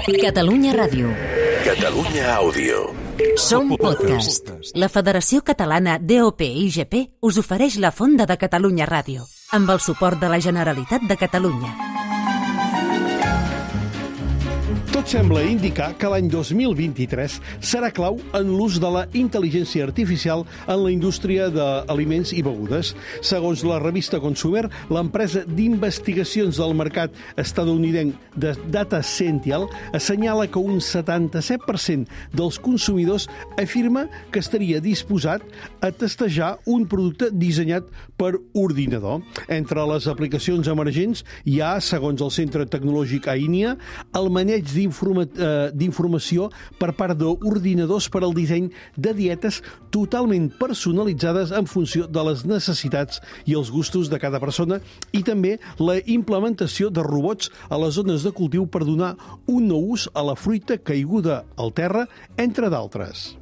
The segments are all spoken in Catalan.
Catalunya Ràdio. Catalunya Àudio. Som podcast. La Federació Catalana DOP-IGP us ofereix la Fonda de Catalunya Ràdio, amb el suport de la Generalitat de Catalunya. Tot sembla indicar que l'any 2023 serà clau en l'ús de la intel·ligència artificial en la indústria d'aliments i begudes. Segons la revista Consumer, l'empresa d'investigacions del mercat estatunidenc de Data Sciential assenyala que un 77% dels consumidors afirma que estaria disposat a testejar un producte dissenyat per ordinador. Entre les aplicacions emergents hi ha, segons el Centre Tecnològic AINIA, el maneig d'informació per part d'ordinadors per al disseny de dietes totalment personalitzades en funció de les necessitats i els gustos de cada persona, i també la implementació de robots a les zones de cultiu per donar un nou ús a la fruita caiguda al terra, entre d'altres.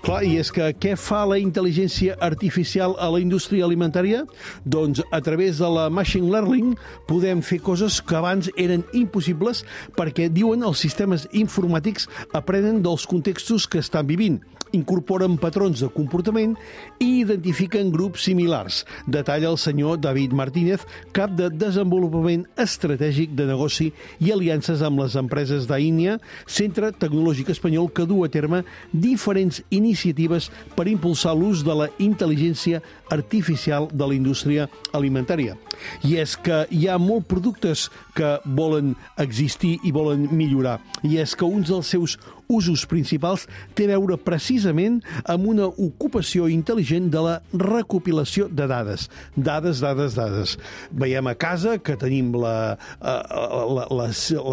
Clar, i és que què fa la intel·ligència artificial a la indústria alimentària? Doncs a través de la machine learning podem fer coses que abans eren impossibles perquè, diuen, els sistemes informàtics aprenen dels contextos que estan vivint, incorporen patrons de comportament i identifiquen grups similars. Detalla el senyor David Martínez, cap de Desenvolupament Estratègic de Negoci i Aliances amb les Empreses d'AINIA, Centre Tecnològic Espanyol, que du a terme diferents iniciatives per impulsar l'ús de la intel·ligència artificial de la indústria alimentària. I és que hi ha molts productes que volen existir i volen millorar. I és que un dels seus usos principals té a veure precisament amb una ocupació intel·ligent de la recopilació de dades. Dades. Veiem a casa que tenim la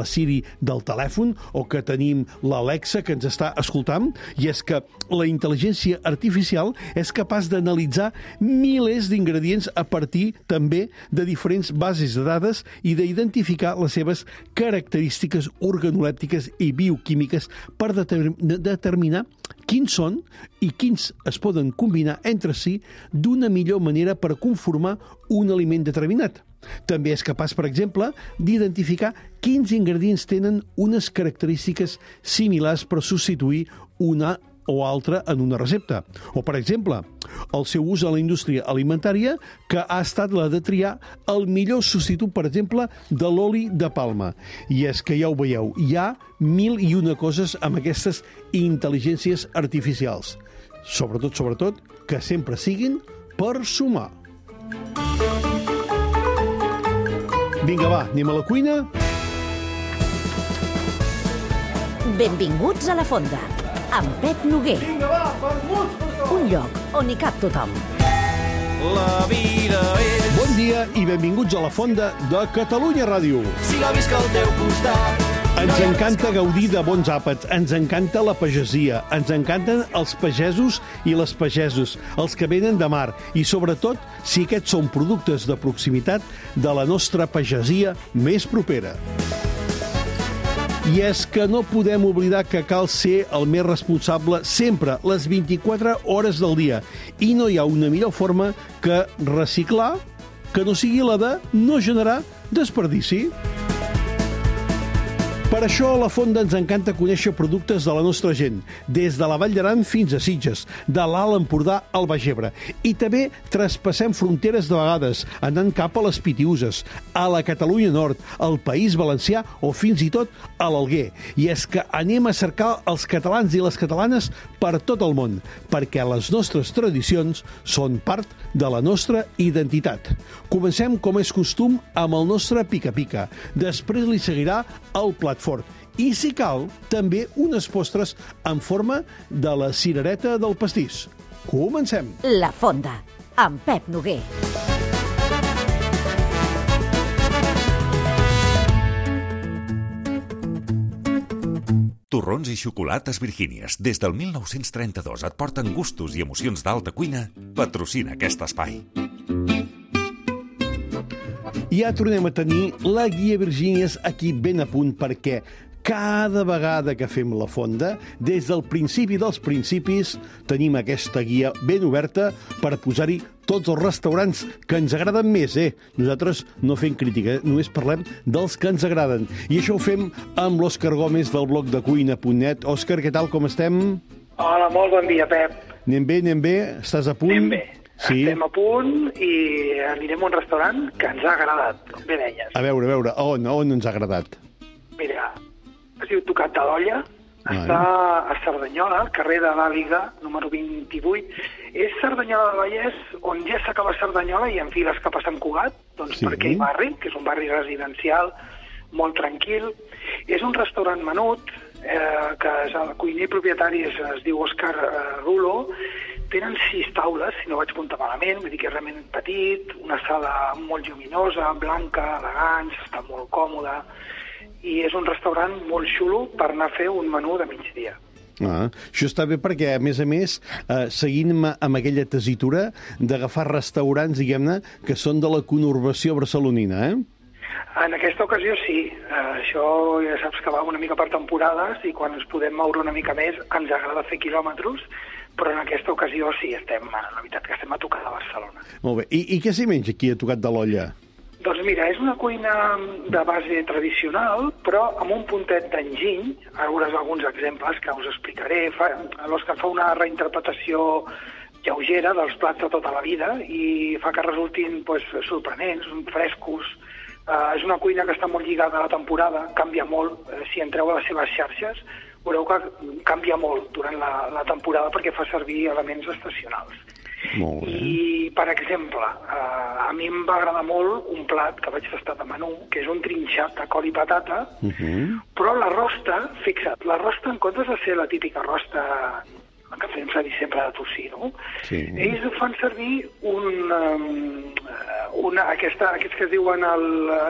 Siri del telèfon o que tenim l'Alexa que ens està escoltant, i és que la intel·ligència artificial és capaç d'analitzar milers d'ingredients a partir també de diferents bases de dades i d'identificar les seves característiques organolèptiques i bioquímiques per determinar quins són i quins es poden combinar entre si d'una millor manera per conformar un aliment determinat. També és capaç, per exemple, d'identificar quins ingredients tenen unes característiques similars per substituir una o altra en una recepta. O, per exemple, el seu ús a la indústria alimentària, que ha estat la de triar el millor substitut, per exemple, de l'oli de palma. I és que ja ho veieu, hi ha 1001 coses amb aquestes intel·ligències artificials. Sobretot, que sempre siguin per sumar. Vinga, va, anem a la cuina. Benvinguts a la Fonda, amb Pep Noguer. Vinga, va, vermuts per tothom. Un lloc on hi cap tothom. La vida és... Bon dia i benvinguts a la Fonda de Catalunya Ràdio. Si la visc al teu costat... Ens encanta gaudir de bons àpats, ens encanta la pagesia, ens encanten els pagesos i les pagesos, els que venen de mar, i sobretot si aquests són productes de proximitat de la nostra pagesia més propera. I és que no podem oblidar que cal ser el més responsable sempre, les 24 hores del dia. I no hi ha una millor forma que reciclar, que no sigui la de no generar desperdici. Per això a la Fonda ens encanta conèixer productes de la nostra gent, des de la Vall d'Aran fins a Sitges, de l'Alt Empordà al Baix Ebre. I també traspassem fronteres de vegades, anant cap a les Pitiüses, a la Catalunya Nord, al País Valencià o fins i tot a l'Alguer. I és que anem a cercar els catalans i les catalanes per tot el món, perquè les nostres tradicions són part de la nostra identitat. Comencem, com és costum, amb el nostre pica-pica. Després li seguirà el plat fort. I, si cal, també unes postres en forma de la cirereta del pastís. Comencem! La Fonda, amb Pep Noguer. Torrons i xocolates Virgínies. Des del 1932 et porten gustos i emocions d'alta cuina. Patrocina aquest espai. Ja tornem a tenir la guia Virgínies aquí ben a punt, perquè cada vegada que fem la fonda, des del principi dels principis, tenim aquesta guia ben oberta per posar-hi tots els restaurants que ens agraden més, Nosaltres no fem crítica, només parlem dels que ens agraden. I això ho fem amb l'Òscar Gómez del blog de cuina.net. Òscar, què tal, com estem? Hola, molt bon dia, Pep. Anem bé? Estàs a punt? Anem bé. Sí. Estem a punt i anirem a un restaurant que ens ha agradat, com bé deies. A veure, on ens ha agradat? Mira, es diu Tocat de l'Olla, està a Cerdanyola, al carrer de l'Àliga, número 28. És Cerdanyola del Vallès, on ja s'acaba Cerdanyola i enfiles cap a Sant Cugat, doncs per aquell barri, que és un barri residencial, molt tranquil. És un restaurant menut, que el cuiner propietari es diu Òscar Rulo. Tenen 6 taules, si no vaig comptar malament, vull dir que és realment petit, una sala molt lluminosa, blanca, elegant, està molt còmoda, i és un restaurant molt xulo per anar a fer un menú de migdia. Això està bé perquè, a més, seguint amb aquella tessitura d'agafar restaurants, diguem-ne, que són de la conurbació barcelonina, En aquesta ocasió sí. Això ja saps que va una mica per temporades i quan ens podem moure una mica més ens agrada fer quilòmetres, però en aquesta ocasió sí, la veritat que estem a Tocat de Barcelona. Molt bé. I què s'hi menja aquí a Tocat de l'Olla? Doncs mira, és una cuina de base tradicional, però amb un puntet d'enginy. Ara veuràs alguns exemples que us explicaré. L'Òscar fa una reinterpretació lleugera dels plats de tota la vida i fa que resultin sorprenents, frescos. És una cuina que està molt lligada a la temporada, canvia molt. Si entreu a les seves xarxes, veureu que canvia molt durant la temporada perquè fa servir elements estacionals. Molt bé. I, per exemple, a mi em va agradar molt un plat que vaig tastar de menú, que és un trinxat de col i patata, però la rosta, fixa't, la rosta en comptes de ser la típica rosta que fem servir sempre de tocino, ells fan servir aquests que es diuen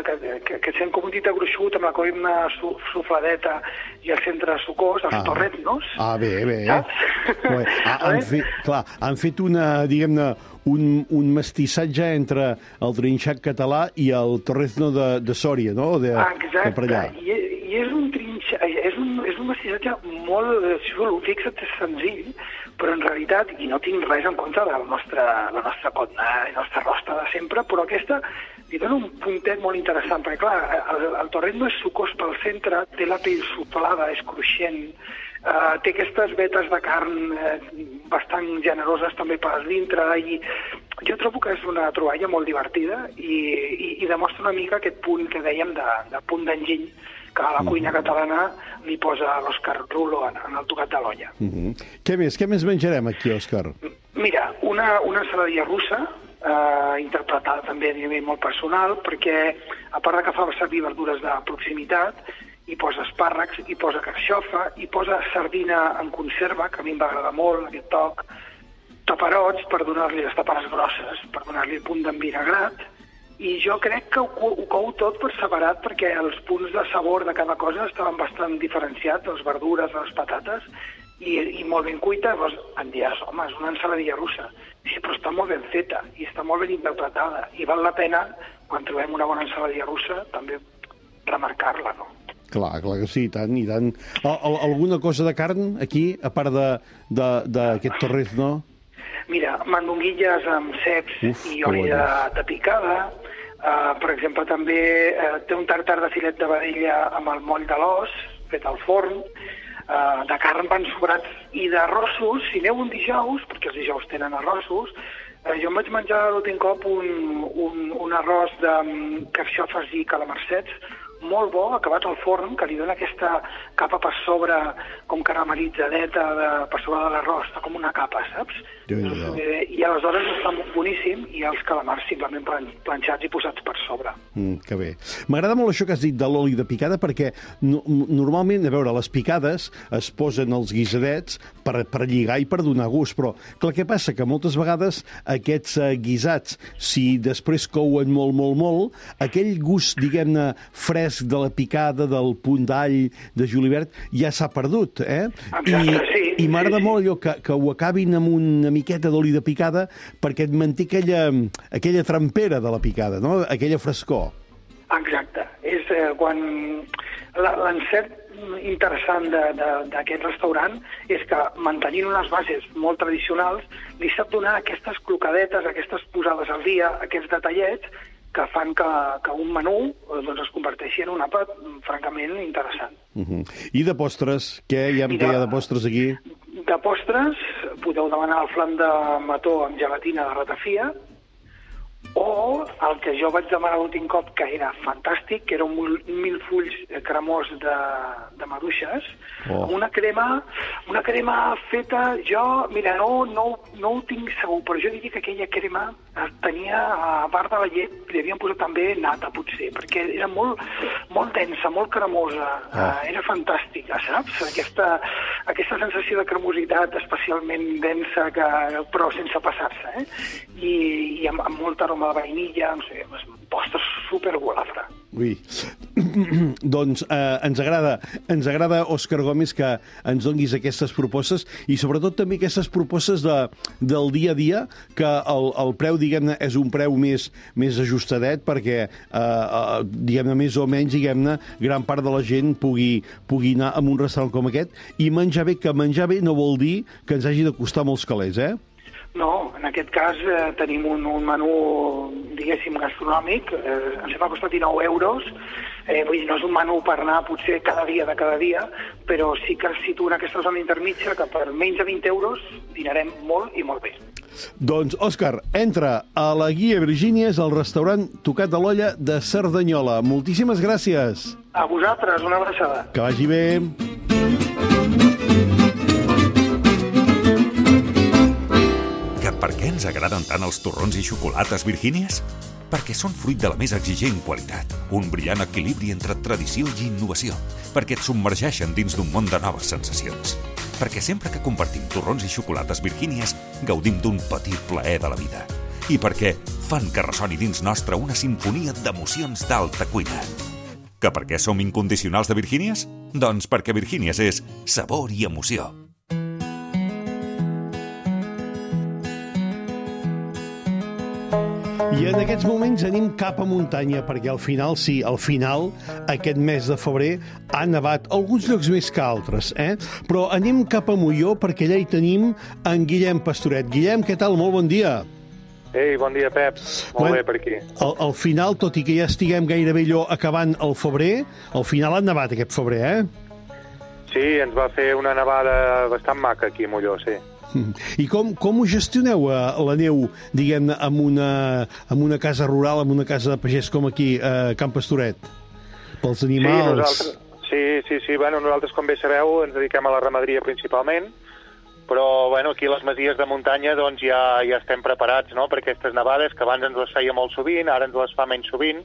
que sent com un dit gruixut amb la columna sufladeta i el centre sucós, els torretnos. Bé. Saps? Han fet diguem-ne, un mestissatge entre el trinxat català i el torrezno de Sòria, no? Exacte, i és un trinxat, és un mestissatge molt xulo, fixa't, és senzill, però en realitat, i no tinc res en contra de la nostra cotna i la nostra rosta de sempre, però aquesta li dona un puntet molt interessant, perquè clar, el torrezno és sucós pel centre, té la pell suflada, és cruixent, té aquestes vetes de carn bastant generoses també per dintre, i jo trobo que és una troballa molt divertida i demostra una mica aquest punt que dèiem de punt d'enginy que a la cuina catalana li posa l'Òscar Rulo en el Tocat de l'Olla. Què més menjarem aquí, Òscar? Mira, una ensaladilla russa, interpretada també a nivell molt personal, perquè a part que fa servir verdures de proximitat, hi posa espàrrecs, hi posa carxofa, hi posa sardina en conserva, que a mi em va agradar molt, aquest toc, taperots per donar-li les taperes grosses, per donar-li el punt d'envinagrat, i jo crec que ho cou tot per separat perquè els punts de sabor de cada cosa estaven bastant diferenciats, les verdures, les patates, i molt ben cuita. Llavors em diràs, home, és una ensaladilla russa. Sí, però està molt ben feta i està molt ben interpretada i val la pena, quan trobem una bona ensaladilla russa, també remarcar-la, no? Clar que sí, i tant. Alguna cosa de carn aquí, a part d'aquest torrezno? Mira, mandonguilles amb ceps i oli de picada. Per exemple, també té un tartar de filet de vedella amb el moll de l'os, fet al forn. De carn van sobrats i d'arrossos, si aneu un dijous, perquè els dijous tenen arrossos, jo em vaig menjar l'últim cop un arròs de carxofes i calamarsets molt bo, acabat al forn, que li dona aquesta capa per sobre, com caramelitzadeta per sobre de l'arròs, està com una capa, saps? I aleshores està boníssim, i els calamars simplement planxats i posats per sobre. Que bé. M'agrada molt això que has dit de l'oli de picada, perquè normalment, a veure, les picades es posen als guisadets per lligar i per donar gust, però clar, què passa? Que moltes vegades aquests guisats, si després couen molt, aquell gust, diguem-ne, fresc de la picada, del punt d'all, de julivert, ja s'ha perdut, Exacte, sí. I m'agrada molt allò que ho acabin amb una miqueta d'oli de picada perquè et manté aquella trampera de la picada, no? Aquella frescor. Exacte. És quan l'encert interessant d'aquest restaurant és que, mantenint unes bases molt tradicionals, li sap donar aquestes clocadetes, aquestes posades al dia, aquests detallets que fan que un menú doncs, es converteixi en un àpat francament interessant. I de postres? Què hi ha de postres aquí? De postres podeu demanar el flam de mató amb gelatina de ratafia, o el que jo vaig demanar l'últim cop, que era fantàstic, que era un milfulls cremós de maduixes, amb una crema feta, jo, mira, no ho tinc segur, però jo diria que aquella crema tenia, a part de la llet, li havien posat també nata, potser, perquè era molt densa, molt cremosa, era fantàstica, saps? Aquesta sensació de cremositat especialment densa, però sense passar-se, i amb molta aroma de vainilla, no sé, postres supergolafre. Ui, doncs ens agrada, Òscar Gómez, que ens donguis aquestes propostes i sobretot també aquestes propostes del dia a dia, que el preu, diguem-ne, és un preu més ajustadet perquè, diguem-ne, més o menys, diguem-ne, gran part de la gent pugui anar a un restaurant com aquest i menjar bé, que menjar bé no vol dir que ens hagi de costar molts calés, No, en aquest cas tenim un menú, diguéssim, gastronòmic, ens va costar 19 euros, vull dir, no és un menú per anar potser cada dia, però sí que es situa en aquesta zona intermitja que per menys de 20 euros dinarem molt i molt bé. Doncs, Òscar, entra a la Guia Virgínies al restaurant Tocat de l'Olla de Cerdanyola. Moltíssimes gràcies. A vosaltres, una abraçada. Que vagi bé. Per què ens agraden tant els torrons i xocolates Virgínies? Perquè són fruit de la més exigent qualitat, un brillant equilibri entre tradició i innovació, perquè et submergeixen dins d'un món de noves sensacions. Perquè sempre que compartim torrons i xocolates Virgínies, gaudim d'un petit plaer de la vida. I perquè fan que ressoni dins nostre una simfonia d'emocions d'alta cuina. Que per què som incondicionals de Virgínies? Doncs perquè Virgínies és sabor i emoció. I en aquests moments anem cap a muntanya, perquè al final, aquest mes de febrer, ha nevat alguns llocs més que altres, Però anem cap a Molló, perquè allà hi tenim en Guillem Pastoret. Guillem, què tal? Molt bon dia. Ei, bon dia, Pep. Molt bé per aquí. Al final, tot i que ja estiguem gairebé allò acabant el febrer, al final ha nevat aquest febrer, Sí, ens va fer una nevada bastant maca aquí a Molló, sí. I com ho gestioneu, la neu, diguem-ne, amb una casa rural, amb una casa de pagès com aquí, a Can Pastoret? Pels animals... Sí. Bueno, nosaltres, com bé sabeu, ens dediquem a la ramaderia principalment, però bueno, aquí a les masies de muntanya doncs, ja estem preparats, no?, per aquestes nevades, que abans ens les feia molt sovint, ara ens les fa menys sovint,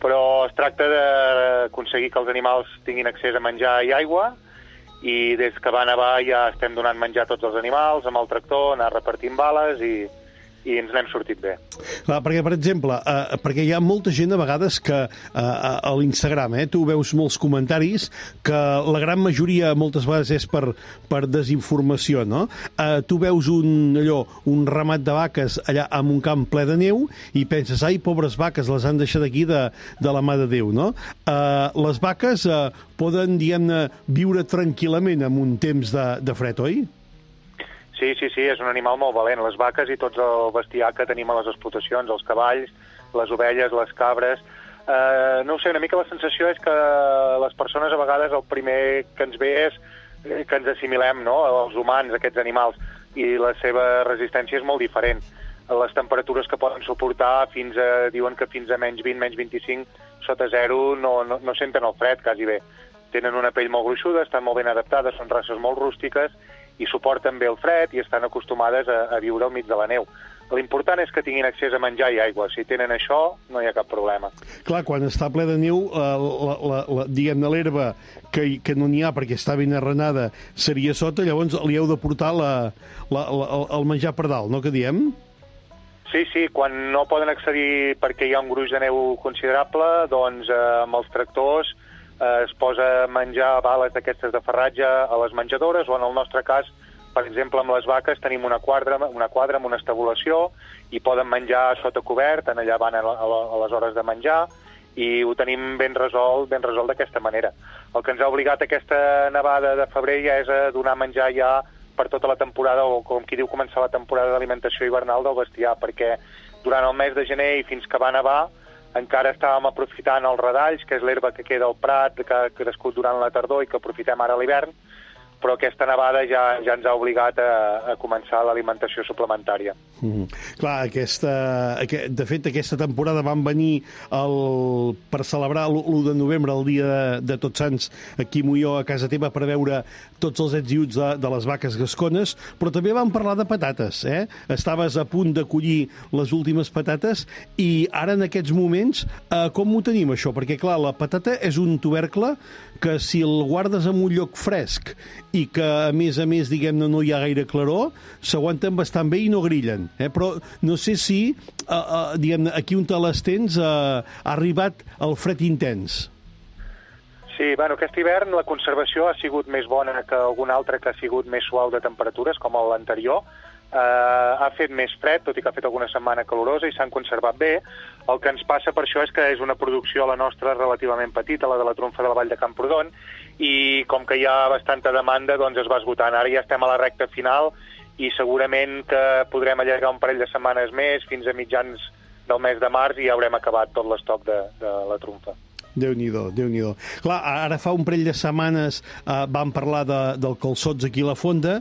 però es tracta d'aconseguir que els animals tinguin accés a menjar i aigua, i des que va nevar ja estem donant menjar a tots els animals, amb el tractor, anar repartint bales i ens n'hem sortit bé. Clar, perquè, per exemple, perquè hi ha molta gent a vegades que a l'Instagram, tu veus molts comentaris que la gran majoria moltes vegades és per desinformació, no? Tu veus un ramat de vaques allà en un camp ple de neu i penses, ai, pobres vaques, les han deixat aquí de la mà de Déu, no? Les vaques poden, diguem-ne, viure tranquil·lament en un temps de fred, oi? Sí, és un animal molt valent. Les vaques i tots el bestiar que tenim a les explotacions, els cavalls, les ovelles, les cabres... No ho sé, una mica la sensació és que les persones a vegades el primer que ens ve és que ens assimilem, no?, als humans, aquests animals, i la seva resistència és molt diferent. Les temperatures que poden suportar diuen que fins a menys 20, menys 25, sota zero, no senten el fred, quasi bé. Tenen una pell molt gruixuda, estan molt ben adaptades, són races molt rústiques, i suporten bé el fred i estan acostumades a viure al mig de la neu. L'important és que tinguin accés a menjar i aigua. Si tenen això, no hi ha cap problema. Clar, quan està ple de neu, diguem-ne, l'herba, que no n'hi ha perquè està ben arrenada, seria sota, llavors li heu de portar el menjar per dalt, no que diem? Sí, quan no poden accedir perquè hi ha un gruix de neu considerable, doncs amb els tractors es posa menjar bales d'aquestes de farratge a les menjadores, o en el nostre cas, per exemple, amb les vaques tenim una quadra amb una estabulació i poden menjar sota cobert, allà van a les hores de menjar, i ho tenim ben resolt d'aquesta manera. El que ens ha obligat aquesta nevada de febrer ja és a donar menjar ja per tota la temporada, o com qui diu començar la temporada d'alimentació hivernal del bestiar, perquè durant el mes de gener i fins que va nevar encara estàvem aprofitant els radalls, que és l'herba que queda al prat, que ha crescut durant la tardor i que aprofitem ara a l'hivern, però aquesta nevada ja ens ha obligat a començar l'alimentació suplementària. Clar, de fet, aquesta temporada van venir per celebrar l'1 de novembre, el dia de Tots Sants, aquí a Molló, a casa teva, per veure tots els ets i uts de les vaques gascones, però també vam parlar de patates, eh? Estaves a punt de collir les últimes patates i ara, en aquests moments, com ho tenim, això? Perquè, clar, la patata és un tubercle que si el guardes en un lloc fresc i que, a més, diguem-ne, no hi ha gaire claror, s'aguanten bastant bé i no grillen. Però no sé si, diguem-ne, aquí on te les tens ha arribat el fred intens. Sí, bueno, aquest hivern la conservació ha sigut més bona que algun altre que ha sigut més suau de temperatures, com l'anterior. Ha fet més fred, tot i que ha fet alguna setmana calorosa, i s'han conservat bé. El que ens passa per això és que és una producció, la nostra, relativament petita, la de la trumfa de la Vall de Camprodon, i com que hi ha bastanta demanda, doncs es va esgotant. Ara ja estem a la recta final i segurament que podrem allargar un parell de setmanes més, fins a mitjans del mes de març, i ja haurem acabat tot l'estoc de la trumfa. Déu-n'hi-do, Déu-n'hi-do. Clar, ara fa un parell de setmanes vam parlar del calçots aquí a la Fonda,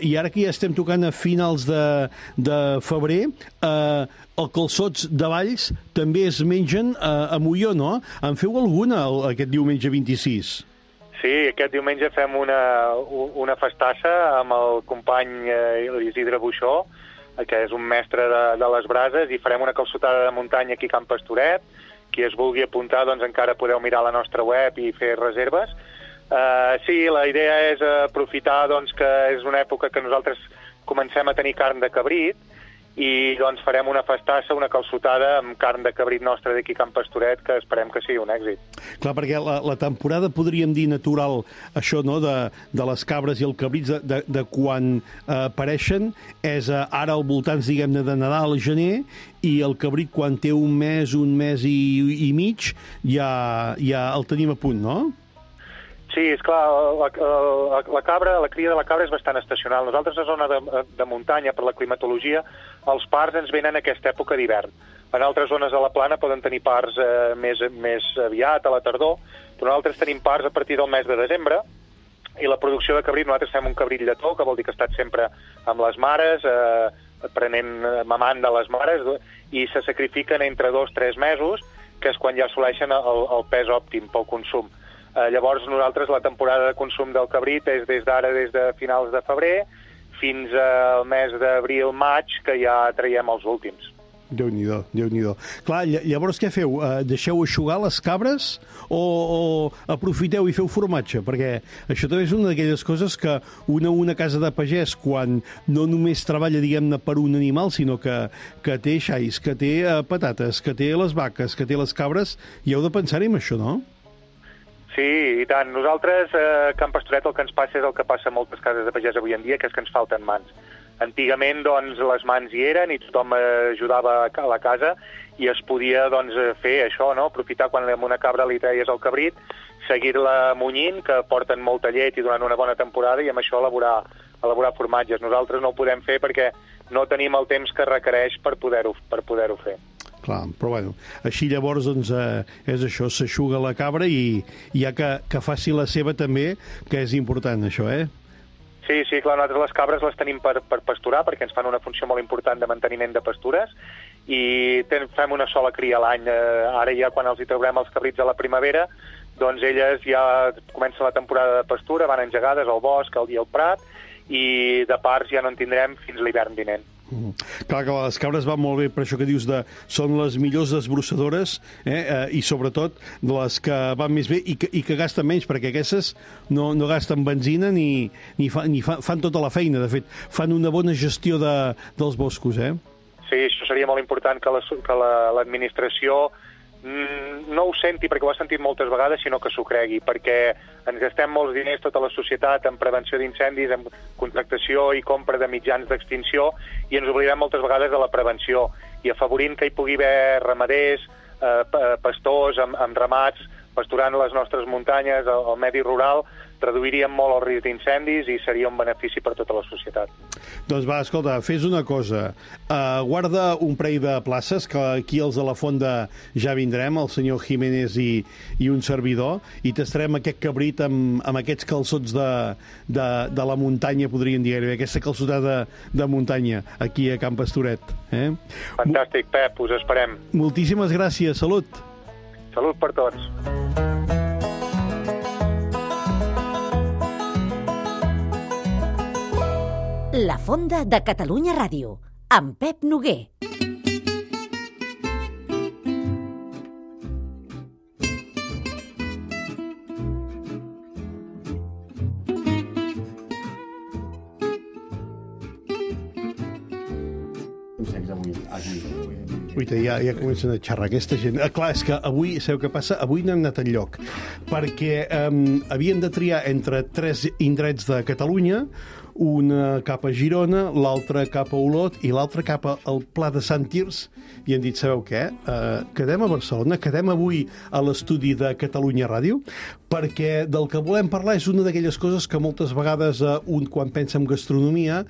i ara que ja estem tocant a finals de febrer, el calçots de Valls també es mengen a Molló, no? En feu alguna aquest diumenge 26? Sí, aquest diumenge fem una festassa amb el company Isidre Buixó, que és un mestre de les brases, i farem una calçotada de muntanya aquí a Can Pastoret. Qui es vulgui apuntar, doncs encara podeu mirar la nostra web i fer reserves. Sí, la idea és aprofitar doncs, que és una època que nosaltres comencem a tenir carn de cabrit, i doncs farem una festassa, una calçotada amb carn de cabrit nostra d'aquí a Can Pastoret, que esperem que sigui un èxit. Clar, perquè la temporada, podríem dir, natural, això, no?, de les cabres i el cabrits, de quan apareixen, és ara al voltants, diguem-ne, de Nadal, gener, i el cabrit, quan té un mes i mig, ja el tenim a punt, no? Sí, és clar, la cria de la cabra és bastant estacional. Nosaltres, a zona de muntanya, per la climatologia, els parts ens venen a aquesta època d'hivern. En altres zones de la plana poden tenir parts més aviat, a la tardor, però nosaltres tenim parts a partir del mes de desembre, i la producció de cabrit, nosaltres fem un cabrit lletó, que vol dir que ha estat sempre amb les mares, mamant de les mares, i se sacrifiquen entre 2-3 mesos, que és quan ja assoleixen el pes òptim pel consum. Llavors, nosaltres, la temporada de consum del cabrit és des de finals de febrer fins al mes d'abril-maig, que ja traiem els últims. Déu-n'hi-do, Déu-n'hi-do. Clar, llavors què feu? Deixeu eixugar les cabres o aprofiteu i feu formatge? Perquè això també és una d'aquelles coses que una casa de pagès, quan no només treballa, diguem-ne, per un animal, sinó que té xais, que té patates, que té les vaques, que té les cabres, i heu de pensar-hi en això, no? Sí, i tant. Nosaltres, a Can Pastoret, el que ens passa és el que passa a moltes cases de pagès avui en dia, que és que ens falten mans. Antigament, doncs, les mans hi eren i tothom ajudava a la casa, i es podia, doncs, fer això, no? Aprofitar quan amb una cabra li treies el cabrit, seguir-la munyint, que porten molta llet i durant una bona temporada, i amb això elaborar formatges. Nosaltres no ho podem fer perquè no tenim el temps que requereix per poder-ho fer. Clar, però bueno, així llavors doncs, és això, s'eixuga la cabra i ja que faci la seva també, que és important això, Sí, clar, nosaltres les cabres les tenim per pasturar, perquè ens fan una funció molt important de manteniment de pastures, i fem una sola cria a l'any. Ara ja quan els hi traurem els cabrits a la primavera, doncs elles ja comença la temporada de pastura, van engegades al bosc, al dia al prat, i de parts ja no en tindrem fins l'hivern vinent. Clar que les cabres van molt bé per això que dius són les millors desbrossadores, i sobretot les que van més bé i que gasten menys, perquè aquestes no gasten benzina ni fan tota la feina. De fet, fan una bona gestió dels boscos, Sí, això seria molt important que l'administració no ho senti, perquè ho ha sentit moltes vegades, sinó que s'ho cregui, perquè ens gastem molts diners, tota la societat, en prevenció d'incendis, en contractació i compra de mitjans d'extinció, i ens oblidem moltes vegades de la prevenció, i afavorint que hi pugui haver ramaders, pastors amb ramats, pasturant les nostres muntanyes, el medi rural, reduiríem molt el risc d'incendis i seria un benefici per tota la societat. Doncs va, escolta, fes una cosa. Guarda un parell de places, que aquí els de la Fonda ja vindrem, el senyor Jiménez i un servidor, i tastarem aquest cabrit amb aquests calçots de la muntanya, podríem dir, aquesta calçotada de muntanya, aquí a Can Pastoret. Fantàstic, Pep, us esperem. Moltíssimes gràcies, salut. Salut per tots. La Fonda de Catalunya Ràdio, amb Pep Noguer. Ja comencen a xerrar aquesta gent. Clar, és que avui, sabeu què passa? Avui no hem anat enlloc, perquè havíem de triar entre 3 indrets de Catalunya, una cap a Girona, l'altra cap a Olot i l'altra cap al Pla de Sant Tirs, i hem dit, sabeu què? Quedem a Barcelona, quedem avui a l'estudi de Catalunya Ràdio, perquè del que volem parlar és una d'aquelles coses que moltes vegades un, quan pensa en gastronomia,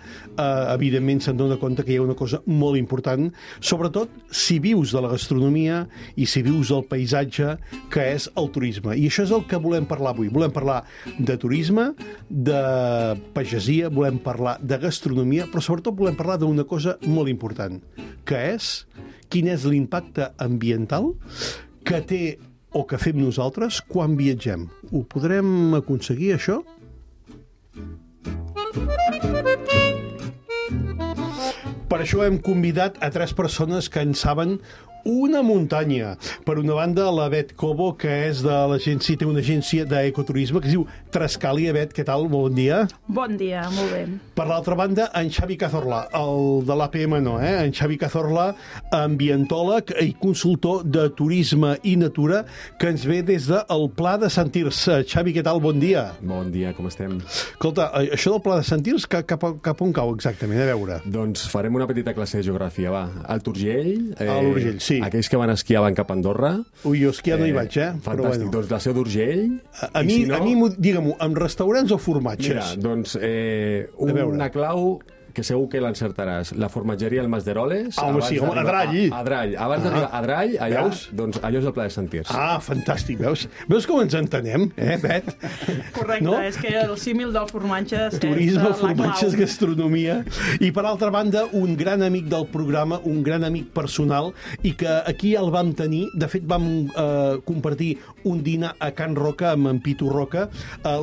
evidentment se'n dona compte que hi ha una cosa molt important, sobretot si vius de la gastronomia i si vius del paisatge, que és el turisme. I això és el que volem parlar avui. Volem parlar de turisme, de pagesia, volem parlar de gastronomia, però sobretot volem parlar d'una cosa molt important, que és quin és l'impacte ambiental que té o que fem nosaltres quan viatgem. Ho podrem aconseguir, això? Per això hem convidat a 3 persones que en saben una muntanya. Per una banda, la Bet Cobo, que és de l'agència, té una agència d'ecoturisme que es diu Trescalia. Bet, què tal? Bon dia. Bon dia, molt bé. Per l'altra banda, en Xavi Cazorla, el de l'APM no, En Xavi Cazorla, ambientòleg i consultor de turisme i natura, que ens ve des del Pla de Sant Tirs. Xavi, què tal? Bon dia. Bon dia, com estem? Escolta, això del Pla de Sant Tirs, cap on cau exactament? A veure. Doncs farem una petita classe de geografia, va. Al Urgell. A l'Urgell, sí. Aquells que van esquiar van cap a Andorra. Ui, jo esquiar no hi vaig, Fantàstic, però bueno. Doncs la Seu d'Urgell. A mi, digue-m'ho, amb restaurants o formatges? Mira, doncs una clau que segur que l'encertaràs. La formatgeria El Mas d'Eroles. Sí, a Drall. A Drall. Abans d'arribar a Drall, allà, doncs allò és el Pla de Sant Tirs. Fantàstic, veus com ens entenem, Bet? Correcte, no? És que el símil del formatge és turisme, formatges, gastronomia. I per altra banda, un gran amic del programa, un gran amic personal, i que aquí el vam tenir, de fet vam compartir un dinar a Can Roca amb en Pitu Roca,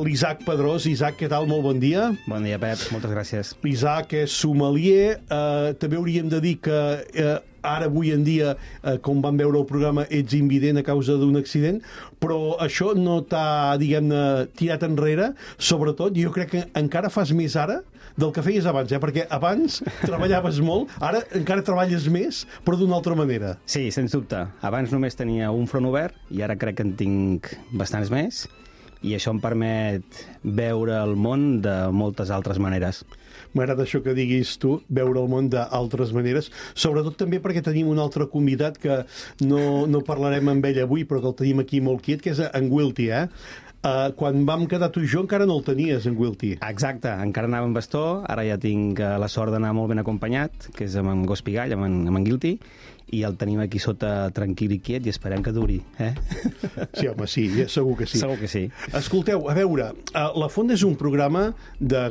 l'Isaac Pedrós. Isaac, què tal? Molt bon dia. Bon dia, Pep, moltes gràcies. L'Isaac és sommelier, també hauríem de dir que ara, avui en dia, com vam veure el programa, ets invident a causa d'un accident, però això no t'ha, diguem-ne, tirat enrere. Sobretot, jo crec que encara fas més ara del que feies abans, perquè abans treballaves molt, ara encara treballes més, però d'una altra manera. Sí, sens dubte. Abans només tenia un front obert i ara crec que en tinc bastants més, i això em permet veure el món de moltes altres maneres. M'agrada això que diguis tu, veure el món d'altres maneres, sobretot també perquè tenim un altre convidat que no parlarem amb ell avui, però que el tenim aquí molt quiet, que és en Wilty, Quan vam quedar tu i jo encara no el tenies, en Wilty. Exacte, encara anava amb bastó, ara ja tinc la sort d'anar molt ben acompanyat, que és amb en Gos Pigall, amb en Guilty, i el tenim aquí sota tranquil i quiet i esperem que duri, Sí, home, sí, segur que sí. Segur que sí. Escolteu, a veure, La Fonda és un programa de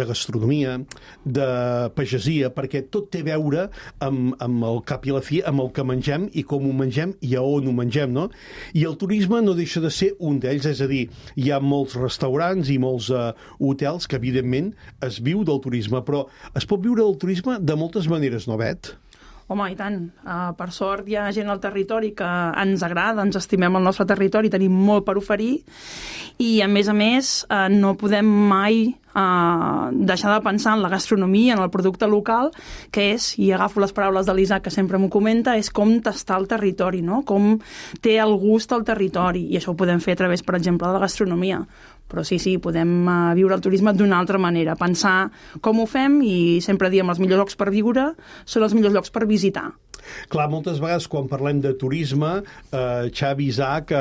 gastronomia, de pagesia, perquè tot té a veure amb el cap i la fi, amb el que mengem i com ho mengem i a on ho mengem, no? I el turisme no deixa de ser un d'ells, és a dir, hi ha molts restaurants i molts hotels que, evidentment, es viu del turisme, però es pot viure del turisme de moltes maneres, no, Bet? Home, i tant. Per sort hi ha gent al territori que ens agrada, ens estimem el nostre territori, tenim molt per oferir i, a més, no podem mai deixar de pensar en la gastronomia, en el producte local, que és, i agafo les paraules de l'Isaac, que sempre m'ho comenta, és com tastar el territori, no? Com té el gust al territori, i això ho podem fer a través, per exemple, de la gastronomia. Però sí, podem viure el turisme d'una altra manera, pensar com ho fem, i sempre diem els millors llocs per viure són els millors llocs per visitar. Clar, moltes vegades quan parlem de turisme, Xavi, Isaac,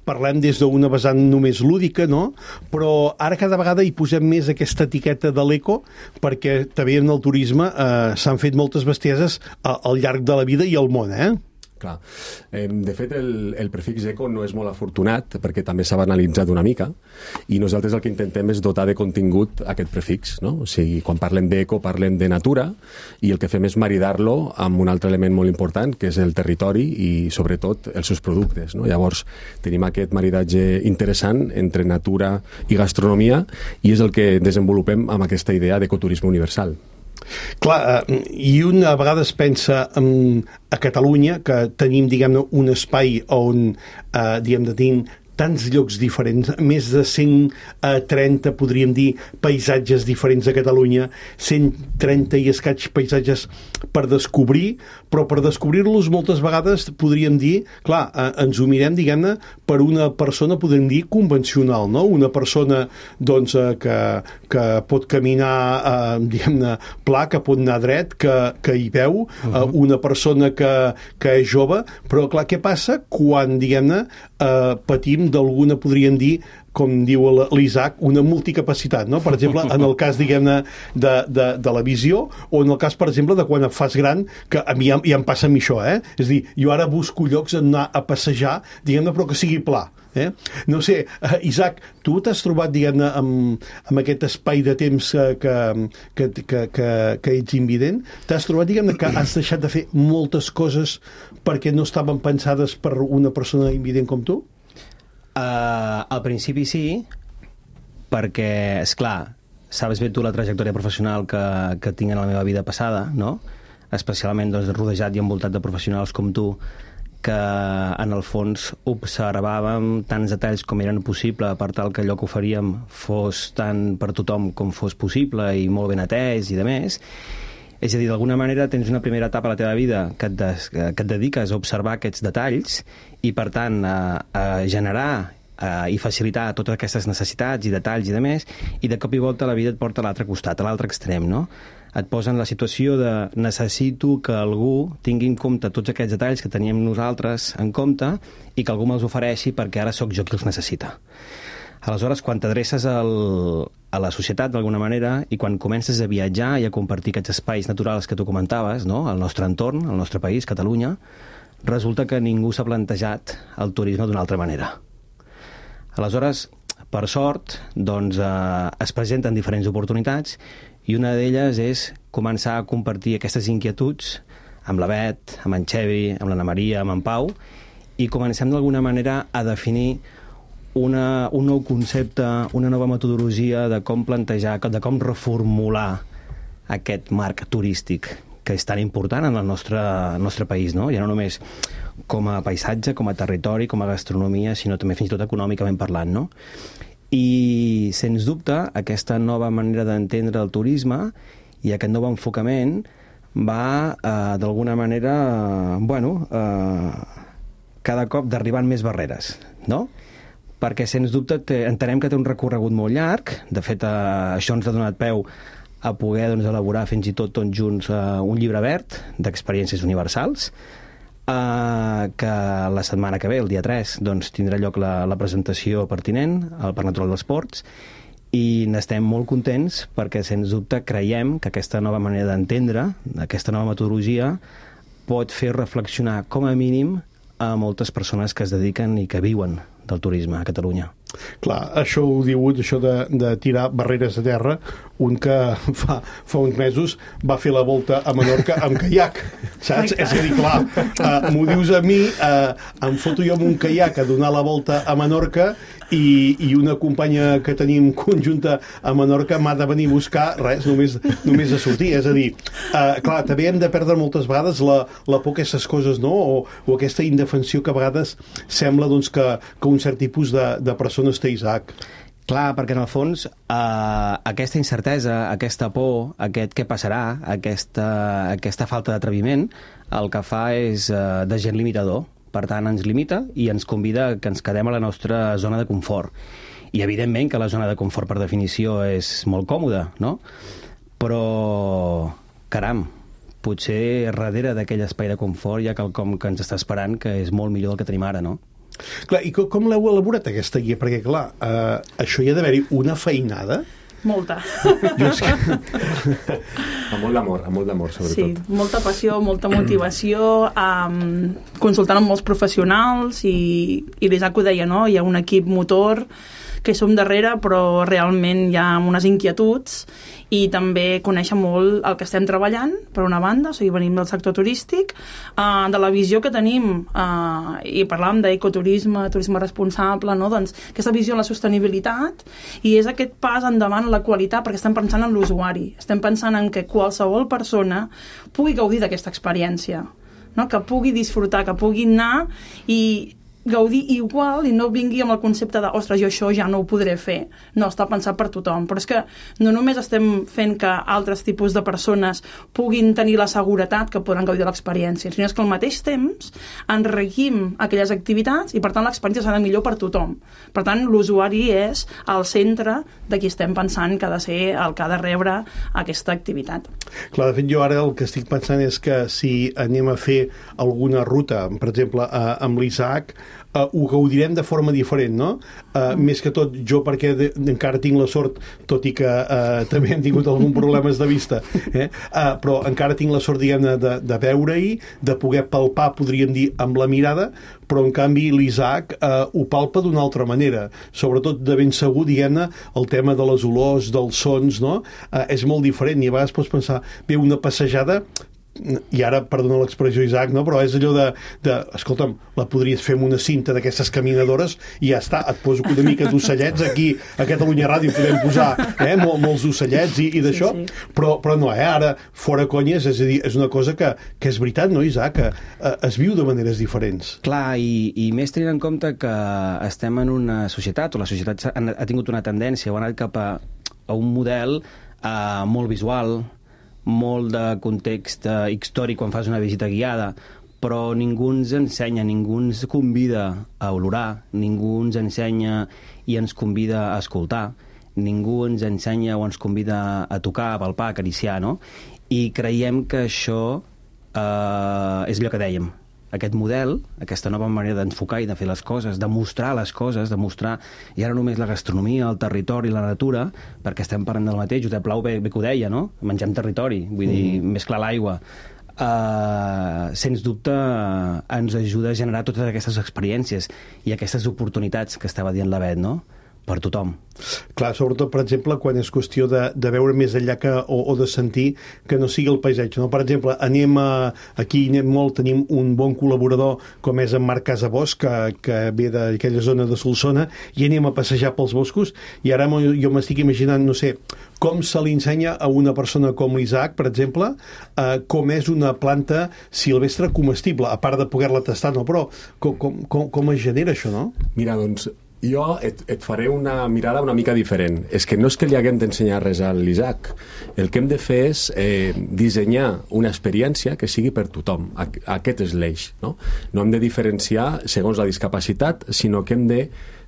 parlem des d'una vessant només lúdica, no? Però ara cada vegada hi posem més aquesta etiqueta de l'eco, perquè també en el turisme s'han fet moltes bestieses al llarg de la vida i al món, Clar. De fet, el prefix eco no és molt afortunat perquè també s'ha banalitzat una mica i nosaltres el que intentem és dotar de contingut aquest prefix, no? O sigui, quan parlem d'eco parlem de natura i el que fem és maridar-lo amb un altre element molt important que és el territori i sobretot els seus productes, no? Llavors tenim aquest maridatge interessant entre natura i gastronomia i és el que desenvolupem amb aquesta idea d'ecoturisme universal. Clar, i un a vegades pensa a Catalunya que tenim, diguem-ne, un espai on, diguem-ne, tenim tants llocs diferents, més de 130, podríem dir, paisatges diferents a Catalunya, 130 i escaig paisatges per descobrir, però per descobrir-los moltes vegades podríem dir, clar, ens ho mirem, diguem-ne, per una persona, podríem dir, convencional, no? Una persona, doncs, que pot caminar, diguem-ne, pla, que pot anar dret, que hi veu, una persona que és jove, però, clar, què passa quan, diguem-ne, patim d'alguna, podríem dir, com diu l'Isaac, una multicapacitat, no? Per exemple, en el cas, diguem-ne, de la visió, o en el cas, per exemple, de quan et fas gran, que a mi ja em passa a mi això, És a dir, jo ara busco llocs on anar a passejar, diguem-ne, però que sigui pla. No sé, Isaac, tu t'has trobat, diguem-ne, amb aquest espai de temps que ets invident? T'has trobat, diguem-ne, que has deixat de fer moltes coses perquè no estaven pensades per una persona invident com tu? Al principi sí, perquè, esclar, sabes bé tu la trajectòria professional que tinc en la meva vida passada, no? Especialment doncs, rodejat i envoltat de professionals com tu, que en el fons observàvem tants detalls com eren possible per tal que allò que oferíem fos tant per tothom com fos possible i molt ben atès i de més. És a dir, d'alguna manera tens una primera etapa a la teva vida que et dediques a observar aquests detalls i, per tant, a generar i facilitar totes aquestes necessitats i detalls i de més, i de cop i volta la vida et porta a l'altre costat, a l'altre extrem, no? Et posa en la situació de necessito que algú tingui en compte tots aquests detalls que teníem nosaltres en compte i que algú me'ls ofereixi perquè ara sóc jo qui els necessita. Aleshores, quan t'adreces a la societat d'alguna manera i quan comences a viatjar i a compartir aquests espais naturals que tu comentaves, no? El nostre entorn, el nostre país, Catalunya, resulta que ningú s'ha plantejat el turisme d'una altra manera. Aleshores, per sort, doncs, es presenten diferents oportunitats i una d'elles és començar a compartir aquestes inquietuds amb la Bet, amb en Xevi, amb l'Anna Maria, amb en Pau, i comencem d'alguna manera a definir un nou concepte, una nova metodologia de com plantejar, de com reformular aquest marc turístic que és tan important en el nostre país, no? Ja no només com a paisatge, com a territori, com a gastronomia, sinó també fins i tot econòmicament parlant, no? I, sens dubte, aquesta nova manera d'entendre el turisme i aquest nou enfocament va, d'alguna manera, cada cop derribant més barreres, no? Perquè, sens dubte, entenem que té un recorregut molt llarg. De fet, això ens ha donat peu a poder elaborar fins i tot tots junts un llibre verd d'experiències universals, que la setmana que ve, el dia 3, tindrà lloc la presentació pertinent al Parc Natural dels Ports, i n'estem molt contents perquè, sens dubte, creiem que aquesta nova manera d'entendre, aquesta nova metodologia, pot fer reflexionar, com a mínim, a moltes persones que es dediquen i que viuen del turisme a Catalunya. Clar, això ho diu, això de tirar barreres a terra, un que fa uns mesos va fer la volta a Menorca amb caiac, saps? És a dir, clar, m'ho dius a mi, em foto jo amb un caiac a donar la volta a Menorca i una companya que tenim conjunta a Menorca m'ha de venir a buscar, res, només a sortir. És a dir, clar, també hem de perdre moltes vegades la por a aquestes coses, no? O aquesta indefensió que a vegades sembla doncs, que un cert tipus de persones té, Isaac. Clar, perquè en el fons aquesta incertesa, aquesta por, aquest què passarà, aquesta falta d'atreviment, el que fa és de gent limitador. Per tant, ens limita i ens convida que ens quedem a la nostra zona de confort. I, evidentment, que la zona de confort, per definició, és molt còmoda, no? Però, caram, potser darrere d'aquell espai de confort hi ha quelcom que ens està esperant que és molt millor del que tenim ara, no? Clar, i com l'heu elaborat, aquesta guia? Perquè, clar, això hi ha d'haver-hi una feinada. Molta. Amb molt d'amor, sobretot. Sí, molta passió, molta motivació, consultant amb molts professionals i l'Isaac ho deia, no? Hi ha un equip motor que hi som darrere, però realment hi ha unes inquietuds i també conèixer molt el que estem treballant, per una banda, o sigui, venim del sector turístic, de la visió que tenim, i parlàvem d'ecoturisme, turisme responsable, no? Doncs aquesta visió en la sostenibilitat, i és aquest pas endavant en la qualitat, perquè estem pensant en l'usuari, estem pensant en que qualsevol persona pugui gaudir d'aquesta experiència, no? Que pugui disfrutar, que pugui anar i gaudir igual i no vingui amb el concepte de ostres, jo això ja no ho podré fer. No, està pensat per tothom. Però és que no només estem fent que altres tipus de persones puguin tenir la seguretat que podran gaudir de l'experiència, sinó que al mateix temps enriquim aquelles activitats i per tant l'experiència serà millor per tothom. Per tant, l'usuari és el centre de qui estem pensant que ha de ser el que ha de rebre aquesta activitat. Clar, de fet, jo ara el que estic pensant és que si anem a fer alguna ruta, per exemple, amb l'Isaac, ho gaudirem de forma diferent, no? Més que tot, jo perquè encara tinc la sort, tot i que també hem tingut alguns problemes de vista, però encara tinc la sort, diguem-ne, de veure-hi, de poder palpar, podríem dir, amb la mirada, però en canvi l'Isaac ho palpa d'una altra manera, sobretot de ben segur, diguem-ne, el tema de les olors, dels sons, no? És molt diferent, i a vegades pots pensar, bé, una passejada, i ara, perdona l'expressió, Isaac, no? Però és allò escolta'm, la podries fer amb una cinta d'aquestes caminadores i ja està, et poso una mica d'ocellets aquí a Catalunya Ràdio, podem posar molts ocellets i d'això, sí. Però no, ara, fora conyes, és a dir, és una cosa que és veritat, no, Isaac? Que es viu de maneres diferents. Clar, i més tenint en compte que estem en una societat, o la societat ha tingut una tendència, o ha anat cap a un model molt visual, molt de context històric quan fas una visita guiada, però ningú ens ensenya, ningú ens convida a olorar, ningú ens ensenya i ens convida a escoltar, ningú ens ensenya o ens convida a tocar, a palpar, a acariciar, no? I creiem que això és allò que dèiem, aquest model, aquesta nova manera d'enfocar i de fer les coses, de mostrar les coses, de mostrar ja no només la gastronomia, el territori, la natura, perquè estem parlant del mateix, Josep Plau bé que ho deia, no? Mengem territori, vull dir, més clar l'aigua. Sens dubte ens ajuda a generar totes aquestes experiències i aquestes oportunitats que estava dient la Bet, no? Per tothom. Clar, sobretot, per exemple, quan és qüestió de veure més enllà o de sentir que no sigui el paisatge, no? Per exemple, aquí tenim un bon col·laborador com és en Marc Casabós, que ve d'aquella zona de Solsona, i anem a passejar pels boscos, i ara jo m'estic imaginant, no sé, com se li ensenya a una persona com l'Isaac, per exemple, com és una planta silvestre comestible, a part de poder-la tastar, no? Però com es genera això, no? Mira, doncs, jo et faré una mirada una mica diferent. És que no és que li haguem d'ensenyar res a l'Isaac. El que hem de fer és dissenyar una experiència que sigui per tothom. Aquest és l'eix, no? No hem de diferenciar segons la discapacitat, sinó que hem de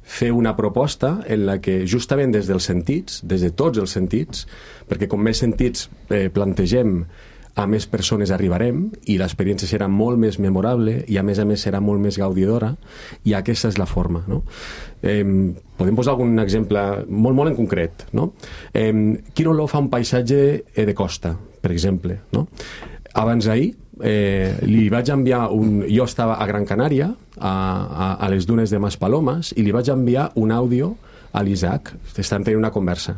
fer una proposta en la que justament des dels sentits, des de tots els sentits, perquè com més sentits plantegem, a més persones arribarem i l'experiència serà molt més memorable i a més serà molt més gaudidora, i aquesta és la forma, no? Podem posar algun exemple molt en concret, no? Quin olor fa un paisatge de costa, per exemple, no? Abans d'ahir li vaig enviar jo estava a Gran Canària, a les dunes de Maspalomas, i li vaig enviar un àudio a l'Isaac, estan tenint una conversa.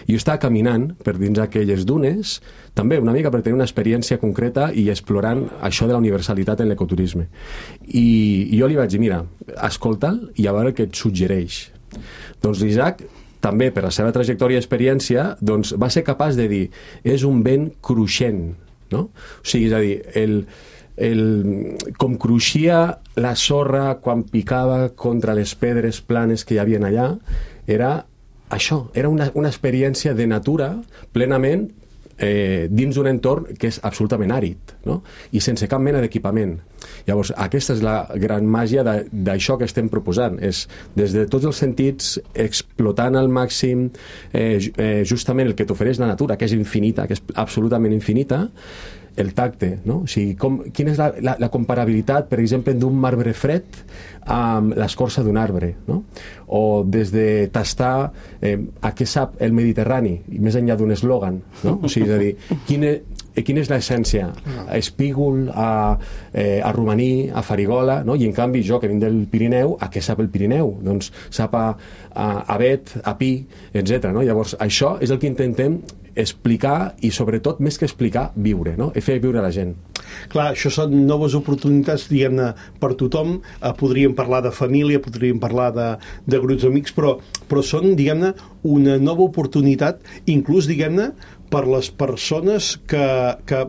I jo estava caminant per dins aquelles dunes, també una mica per tenir una experiència concreta i explorant això de la universalitat en l'ecoturisme. I jo li vaig dir, mira, escolta'l i a veure què et suggereix. Doncs l'Isaac, també per la seva trajectòria i experiència, doncs va ser capaç de dir, és un vent cruixent, no? O sigui, és a dir, com cruixia la sorra quan picava contra les pedres planes que hi havia allà, era això, era una experiència de natura plenament dins d'un entorn que és absolutament àrid, no? I sense cap mena d'equipament. Llavors, aquesta és la gran màgia d'això que estem proposant, és des de tots els sentits, explotant al màxim justament el que t'ofereix la natura, que és infinita, que és absolutament infinita, el tacte, no? O sigui, quina és la comparabilitat, per exemple, d'un marbre fred amb l'escorça d'un arbre, no? O des de tastar a què sap el Mediterrani, i més enllà d'un eslògan, no? O sigui, és a dir, quina és l'essència? A Espígol, a Romaní, a Farigola, no? I en canvi jo, que vinc del Pirineu, a què sap el Pirineu? Doncs sap a Bet, a Pi, etc. No? Llavors, això és el que intentem explicar i, sobretot, més que explicar, viure, no? I fer viure la gent. Clar, això són noves oportunitats, diguem-ne, per tothom. Podríem parlar de família, podríem parlar de grups d'amics, però són, diguem-ne, una nova oportunitat, inclús, diguem-ne, per les persones que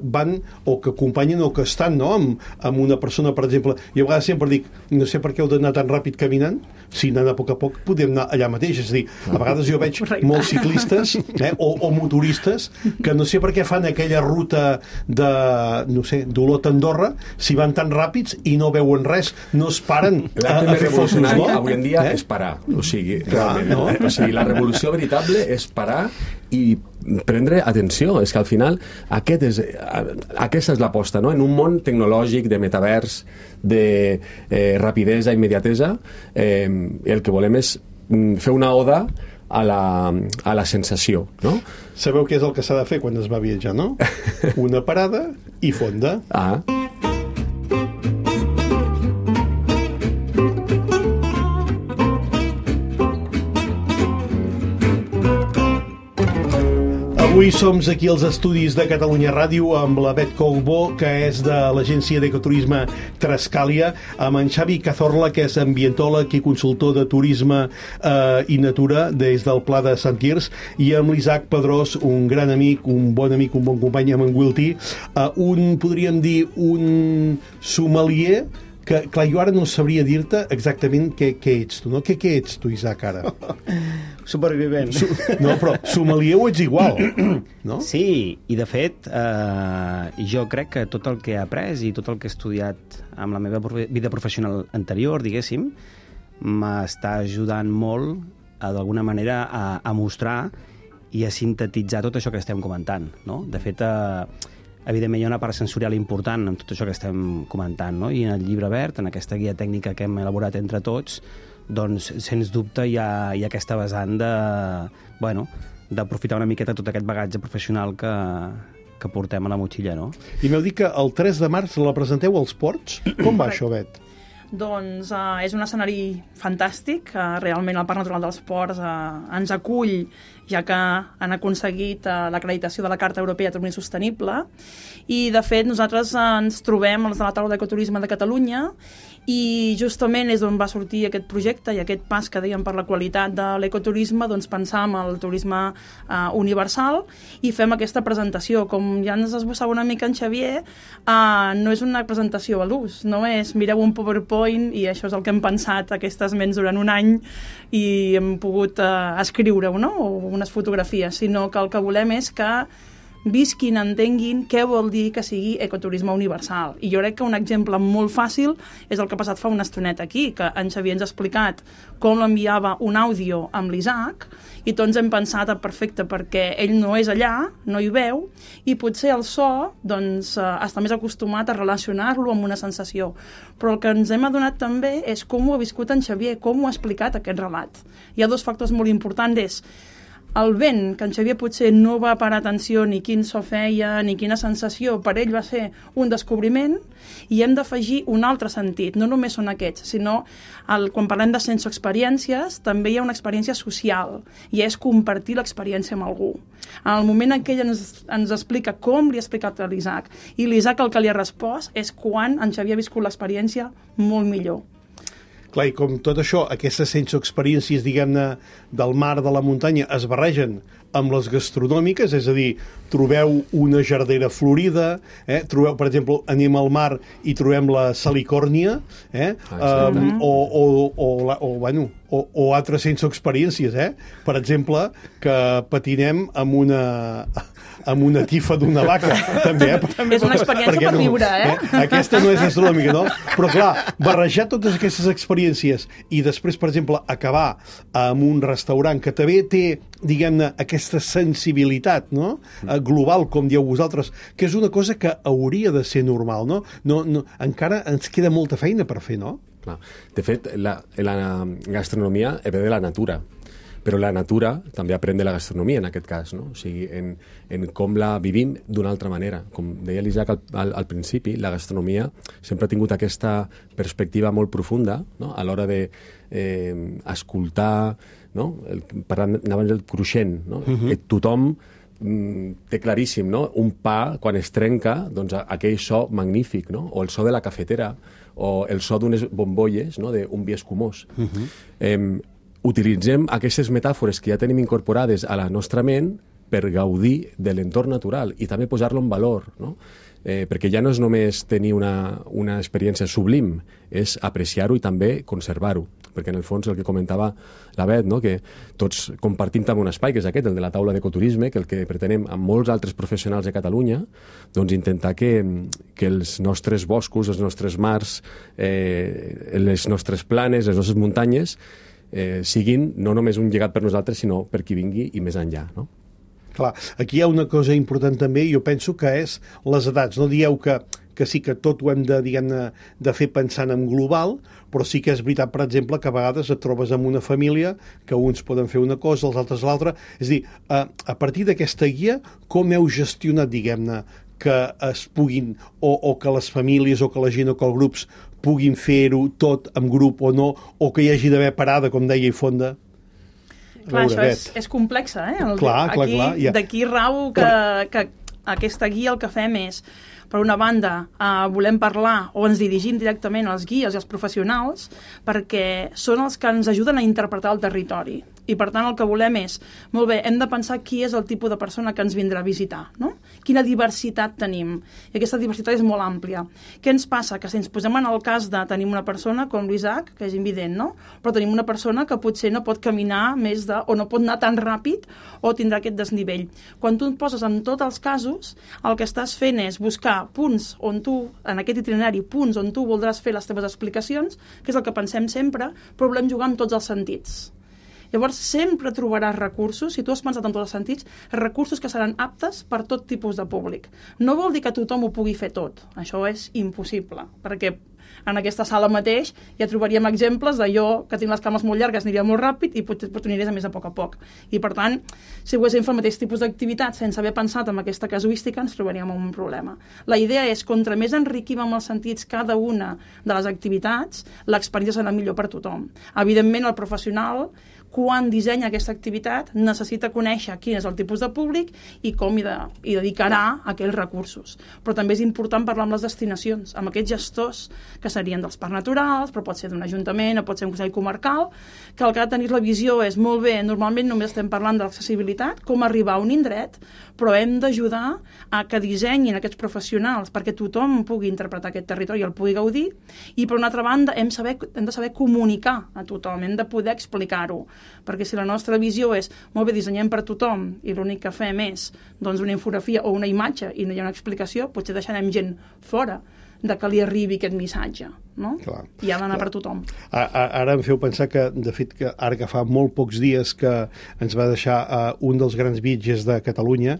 van o que acompanyen o que estan, no? amb una persona, per exemple. Jo a vegades sempre dic, no sé per què heu d'anar tan ràpid caminant, si anant a poc podem anar allà mateix. És a dir, a vegades jo veig molts ciclistes o motoristes que no sé per què fan aquella ruta de, no sé, d'Olot a Andorra, si van tan ràpids i no veuen res, no es paren a fer fotos, no? Avui en dia és parar. O sigui, realment, no? O sigui, la revolució veritable és parar i prendre atenció. És que al final aquesta és l'aposta, no? En un món tecnològic, de metavers, de rapidesa, immediatesa, el que volem és fer una oda a la sensació, no? Sabeu què és el que s'ha de fer quan es va viatjar, no? Una parada i fonda. Avui som aquí als estudis de Catalunya Ràdio amb la Bet Colbó, que és de l'agència d'ecoturisme Trascàlia, amb en Xavi Cazorla, que és ambientòleg i consultor de turisme i natura des del Pla de Sant Quirze, i amb l'Isaac Pedrós, un gran amic, un bon company, amb en Wilty, podríem dir, un sommelier que, clar, jo ara no sabria dir-te exactament què ets tu, no? Què ets tu, Isaac, ara? Supervivent. No, però sommelier ho ets igual, no? Sí, i de fet, jo crec que tot el que he après i tot el que he estudiat amb la meva vida professional anterior, diguéssim, m'està ajudant molt, d'alguna manera, a mostrar i a sintetitzar tot això que estem comentant, no? De fet, evidentment hi ha una part sensorial important en tot això que estem comentant, no? I en el llibre verd, en aquesta guia tècnica que hem elaborat entre tots, doncs, sens dubte, hi ha aquesta vessant d'aprofitar una miqueta tot aquest bagatge professional que portem a la motxilla, no? I m'heu dit que el 3 de març la presenteu als Ports. Com va això, Bet? Doncs és un escenari fantàstic. Realment el Parc Natural dels Ports ens acull, ja que han aconseguit l'acreditació de la Carta Europea de Turisme Sostenible. I, de fet, nosaltres ens trobem els de la taula d'ecoturisme de Catalunya i justament és on va sortir aquest projecte i aquest pas que dèiem per la qualitat de l'ecoturisme, doncs pensar en el turisme universal i fem aquesta presentació. Com ja ens esbossava una mica en Xavier, no és una presentació a l'ús, no és mireu un PowerPoint i això és el que hem pensat aquestes ments durant un any i hem pogut escriure-ho, no? O unes fotografies, sinó que el que volem és que visquin, entenguin què vol dir que sigui ecoturisme universal. I jo crec que un exemple molt fàcil és el que ha passat fa una estoneta aquí, que en Xavier ens ha explicat com l'enviava un àudio amb l'Isaac i tots hem pensat perfecte perquè ell no és allà, no hi veu, i potser el so doncs, està més acostumat a relacionar-lo amb una sensació. Però el que ens hem adonat també és com ho ha viscut en Xavier, com ho ha explicat aquest relat. Hi ha dos factors molt importants, el vent, que en Xavier potser no va parar atenció ni quin so feia, ni quina sensació, per ell va ser un descobriment, i hem d'afegir un altre sentit, no només són aquests, sinó quan parlem de sensoexperiències, també hi ha una experiència social, i és compartir l'experiència amb algú. En el moment en què ell ens explica com li ha explicat a l'Isaac, i l'Isaac el que li ha respost és quan en Xavier ha viscut l'experiència molt millor. Clar, i com tot això, aquestes sensoexperiències, diguem-ne, del mar, de la muntanya, es barregen amb les gastronòmiques, és a dir, trobeu una jardera florida, trobeu, per exemple, anem al mar i trobem la salicòrnia, o o altres sense experiències, Per exemple, que patinem amb una tifa d'una vaca, també, És una experiència per viure, Aquesta no és astronòmica, no? Però, clar, barrejar totes aquestes experiències i després, per exemple, acabar en un restaurant que també té, diguem-ne, aquesta sensibilitat, no? Global, com dieu vosaltres, que és una cosa que hauria de ser normal, no? Encara ens queda molta feina per fer, no? Clar. De fet, la gastronomia ve de la natura, però la natura també aprèn de la gastronomia en aquest cas, no? O sigui, en com la vivim d'una altra manera. Com deia l'Isaac al principi, la gastronomia sempre ha tingut aquesta perspectiva molt profunda, no? A l'hora de escoltar, no? Parlant abans del cruixent, no? Que tothom té claríssim, no? Un pa, quan es trenca, doncs aquell so magnífic, no? O el so de la cafetera, o el so d'unes bombolles, no? D'un vi escumós. Utilitzem aquestes metàfores que ja tenim incorporades a la nostra ment per gaudir de l'entorn natural i també posar-lo en valor, no? Perquè ja no és només tenir una experiència sublim, és apreciar-ho i també conservar-ho. Perquè en el fons el que comentava la Bet, no? Que tots compartim també un espai, que és aquest, el de la taula d'ecoturisme, que el que pretenem amb molts altres professionals de Catalunya, doncs intentar que els nostres boscos, els nostres mars, les nostres planes, les nostres muntanyes, siguin no només un llegat per nosaltres, sinó per qui vingui i més enllà, no? Clar, aquí hi ha una cosa important també, jo penso que és les edats. No dieu que sí que tot ho hem de, diguem-ne, de fer pensant en global, però sí que és veritat, per exemple, que a vegades et trobes amb una família que uns poden fer una cosa, els altres l'altra. És a dir, a partir d'aquesta guia, com heu gestionat, diguem-ne, que es puguin, o que les famílies o que la gent o que els grups puguin fer-ho tot en grup o no, o que hi hagi d'haver parada, com deia Ifonda? Clar, això és complex, Clar. D'aquí rau que aquesta guia el que fem és, per una banda, volem parlar o ens dirigim directament als guies i als professionals perquè són els que ens ajuden a interpretar el territori. I, per tant, el que volem és, molt bé, hem de pensar qui és el tipus de persona que ens vindrà a visitar, no? Quina diversitat tenim. I aquesta diversitat és molt àmplia. Què ens passa? Que si ens posem en el cas de tenim una persona com l'Isaac, que és invident, no? Però tenim una persona que potser no pot caminar més o no pot anar tan ràpid o tindrà aquest desnivell. Quan tu et poses en tots els casos, el que estàs fent és buscar punts on tu, en aquest itinerari, punts on tu voldràs fer les teves explicacions, que és el que pensem sempre, però volem jugar amb tots els sentits. Llavors, sempre trobaràs recursos, si tu has pensat en tots els sentits, recursos que seran aptes per tot tipus de públic. No vol dir que tothom ho pugui fer tot. Això és impossible, perquè en aquesta sala mateix ja trobaríem exemples de jo, que tinc les cames molt llargues, aniria molt ràpid i potser t'uniries a més a poc. I, per tant, si poguéssim fer el mateix tipus d'activitat sense haver pensat en aquesta casuística, ens trobaríem amb un problema. La idea és, contra més enriquim amb els sentits cada una de les activitats, l'experiència serà millor per tothom. Evidentment, el professional, quan dissenya aquesta activitat, necessita conèixer quin és el tipus de públic i com hi dedicarà aquells recursos. Però també és important parlar amb les destinacions, amb aquests gestors que serien dels parcs naturals, però pot ser d'un ajuntament o pot ser un consell comarcal, que el que ha de tenir la visió és, molt bé, normalment només estem parlant de l'accessibilitat, com arribar a un indret, però hem d'ajudar a que dissenyin aquests professionals perquè tothom pugui interpretar aquest territori i el pugui gaudir, i per una altra banda hem de saber comunicar a tothom, hem de poder explicar-ho, perquè si la nostra visió és, molt bé, dissenyem per tothom i l'únic que fem és doncs, una infografia o una imatge i no hi ha una explicació, potser deixarem gent fora de que li arribi aquest missatge, no? Clar. I ha d'anar per tothom. Ara em feu pensar que, de fet, que ara que fa molt pocs dies que ens va deixar un dels grans viatgers de Catalunya,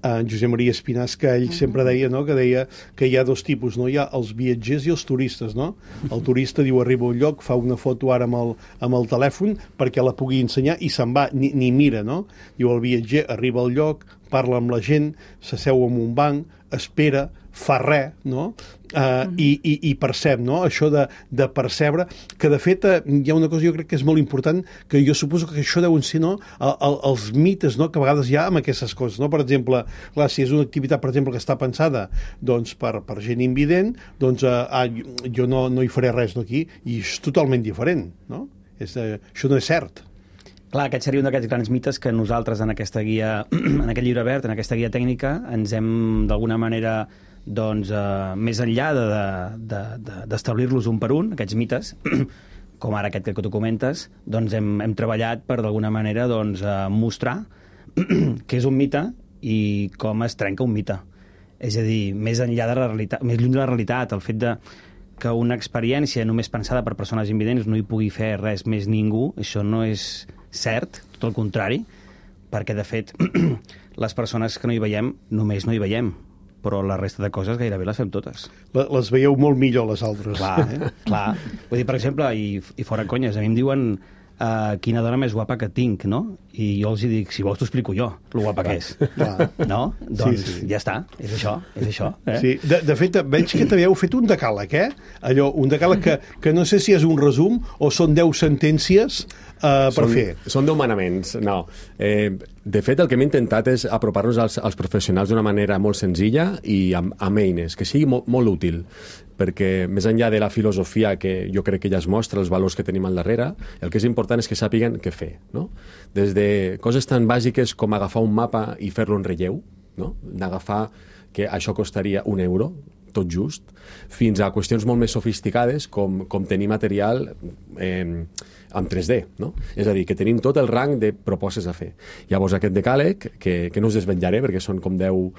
en Josep Maria Espinàs, que ell sempre deia, no?, que deia que hi ha dos tipus, no? Hi ha els viatgers i els turistes, no? El turista diu, arriba a un lloc, fa una foto ara amb el telèfon perquè la pugui ensenyar i se'n va, ni mira, no? Diu, el viatger arriba al lloc, parla amb la gent, s'asseu en un banc, espera, fa res, no? I percep, no? Això de percebre, que de fet hi ha una cosa jo crec que és molt important, que jo suposo que això deuen ser, no?, els mites, no?, que a vegades hi ha amb aquestes coses, no? Per exemple, clar, si és una activitat, per exemple, que està pensada doncs, per gent invident, doncs jo no hi faré res d'aquí, i és totalment diferent, no? Això no és cert. Clar, aquest seria un d'aquests grans mites que nosaltres en aquesta guia, en aquest llibre verd, en aquesta guia tècnica, ens hem d'alguna manera, doncs, més enllà d'establir-los un per un, aquests mites, com ara aquest que tu comentes, doncs hem treballat per d'alguna manera doncs, mostrar què és un mite i com es trenca un mite. És a dir, més enllà de la realitat, més lluny de la realitat, el fet de que una experiència només pensada per persones invidents no hi pugui fer res més ningú, això no és cert, tot el contrari, perquè, de fet, les persones que no hi veiem, només no hi veiem, però la resta de coses gairebé les fem totes. Les veieu molt millor, les altres. Clar, clar. Vull dir, per exemple, i fora conyes, a mi em diuen quina dona més guapa que tinc, no? I jo els dic, si vols t'ho explico jo, lo guapa que és. No? Doncs ja està, és això. Sí, de fet, veig que també heu fet un decàleg, Allò, un decàleg que no sé si és un resum o són 10 sentències per fer. Són 10 manaments, no. De fet, el que hem intentat és apropar-nos als professionals d'una manera molt senzilla i amb eines, que sigui molt útil, perquè més enllà de la filosofia que jo crec que ja es mostra, els valors que tenim al darrere, el que és important és que sàpiguen què fer, no? Des de coses tan bàsiques com agafar un mapa i fer-lo en relleu, no? D'agafar que això costaria €1, tot just, fins a qüestions molt més sofisticades com tenir material en 3D, no? És a dir, que tenim tot el rang de propostes a fer. Llavors, aquest decàleg, que no us desvetllaré perquè són com 10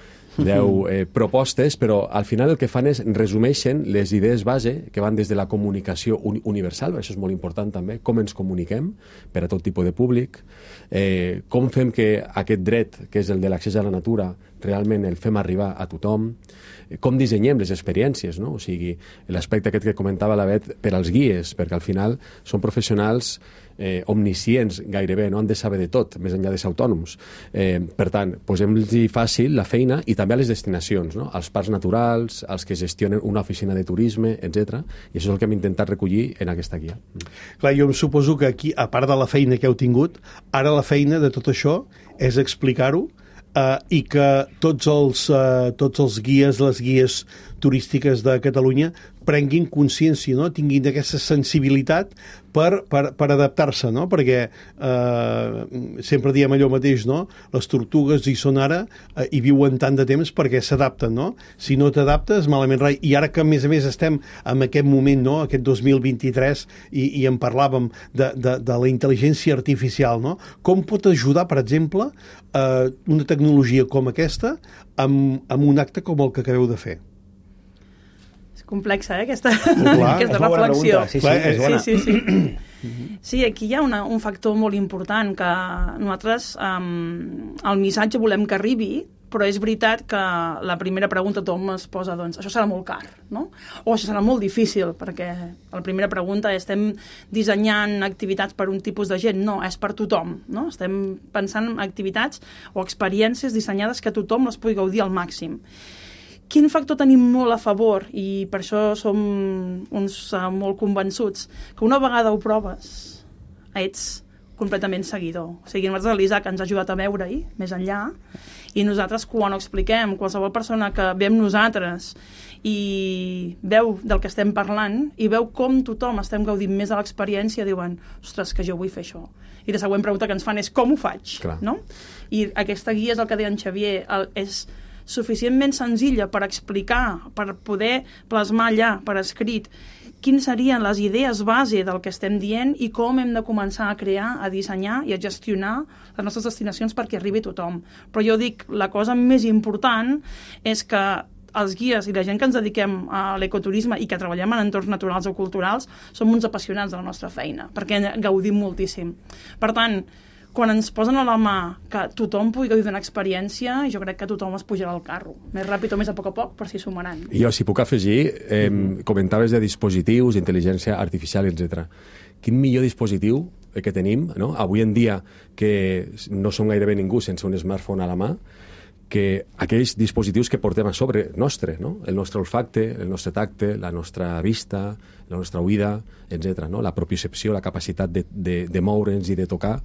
propostes, però al final el que fan és resumeixen les idees base que van des de la comunicació universal, això és molt important també, com ens comuniquem per a tot tipus de públic, com fem que aquest dret, que és el de l'accés a la natura, realment el fem arribar a tothom, com dissenyem les experiències, no? O sigui, l'aspecte aquest que comentava la Bet per als guies, perquè al final són professionals omniscients gairebé, no han de saber de tot, més enllà de ser autònoms. Per tant, posem-los fàcil la feina i també a les destinacions, no? Als parcs naturals, als que gestionen una oficina de turisme, etc. I això és el que hem intentat recollir en aquesta guia. Clar, jo em suposo que aquí, a part de la feina que heu tingut, ara la feina de tot això és explicar-ho i que tots els guies, les guies turístiques de Catalunya prenguin consciència, no? Tinguin aquesta sensibilitat per adaptar-se, no? Perquè sempre diem allò mateix, no? Les tortugues hi són ara i viuen tant de temps perquè s'adapten, no? Si no t'adaptes, malament rai. I ara que, a més estem en aquest moment, no? Aquest 2023, i en parlàvem de la intel·ligència artificial, no? Com pot ajudar, per exemple, una tecnologia com aquesta amb un acte com el que acabeu de fer? Complexa, aquesta reflexió. Sí, és bona. Sí, aquí hi ha un factor molt important que nosaltres el missatge volem que arribi, però és veritat que la primera pregunta tothom es posa, doncs, això serà molt car, no? O això serà molt difícil, perquè la primera pregunta és, estem dissenyant activitats per un tipus de gent? No, és per tothom, no? Estem pensant en activitats o experiències dissenyades que tothom les pugui gaudir al màxim. Quin factor tenim molt a favor, i per això som uns molt convençuts, que una vegada ho proves, ets completament seguidor. O sigui, nosaltres l'Isaac ens ha ajudat a veure-hi, més enllà, i nosaltres quan ho expliquem, qualsevol persona que ve amb nosaltres i veu del que estem parlant i veu com tothom estem gaudint més de l'experiència, diuen, ostres, que jo vull fer això. I la següent pregunta que ens fan és, com ho faig? No? I aquesta guia és el que deia en Xavier, és suficientment senzilla per explicar, per poder plasmar allà, per escrit, quines serien les idees base del que estem dient i com hem de començar a crear, a dissenyar i a gestionar les nostres destinacions perquè arribi a tothom. Però jo dic, la cosa més important és que els guies i la gent que ens dediquem a l'ecoturisme i que treballem en entorns naturals o culturals som uns apassionats de la nostra feina, perquè en gaudim moltíssim. Per tant, quan ens posen a la mà que tothom pugui gaudir d'una experiència, jo crec que tothom es pujarà al carro. Més ràpid o més a poc, però s'hi sumaran. Jo, si puc afegir, comentaves de dispositius, intel·ligència artificial, etc. Quin millor dispositiu que tenim, no? Avui en dia, que no som gairebé ningú sense un smartphone a la mà, que aquells dispositius que portem a sobre nostre, no? El nostre olfacte, el nostre tacte, la nostra vista, la nostra oïda, etc. No? La propiocepció, la capacitat de moure'ns i de tocar,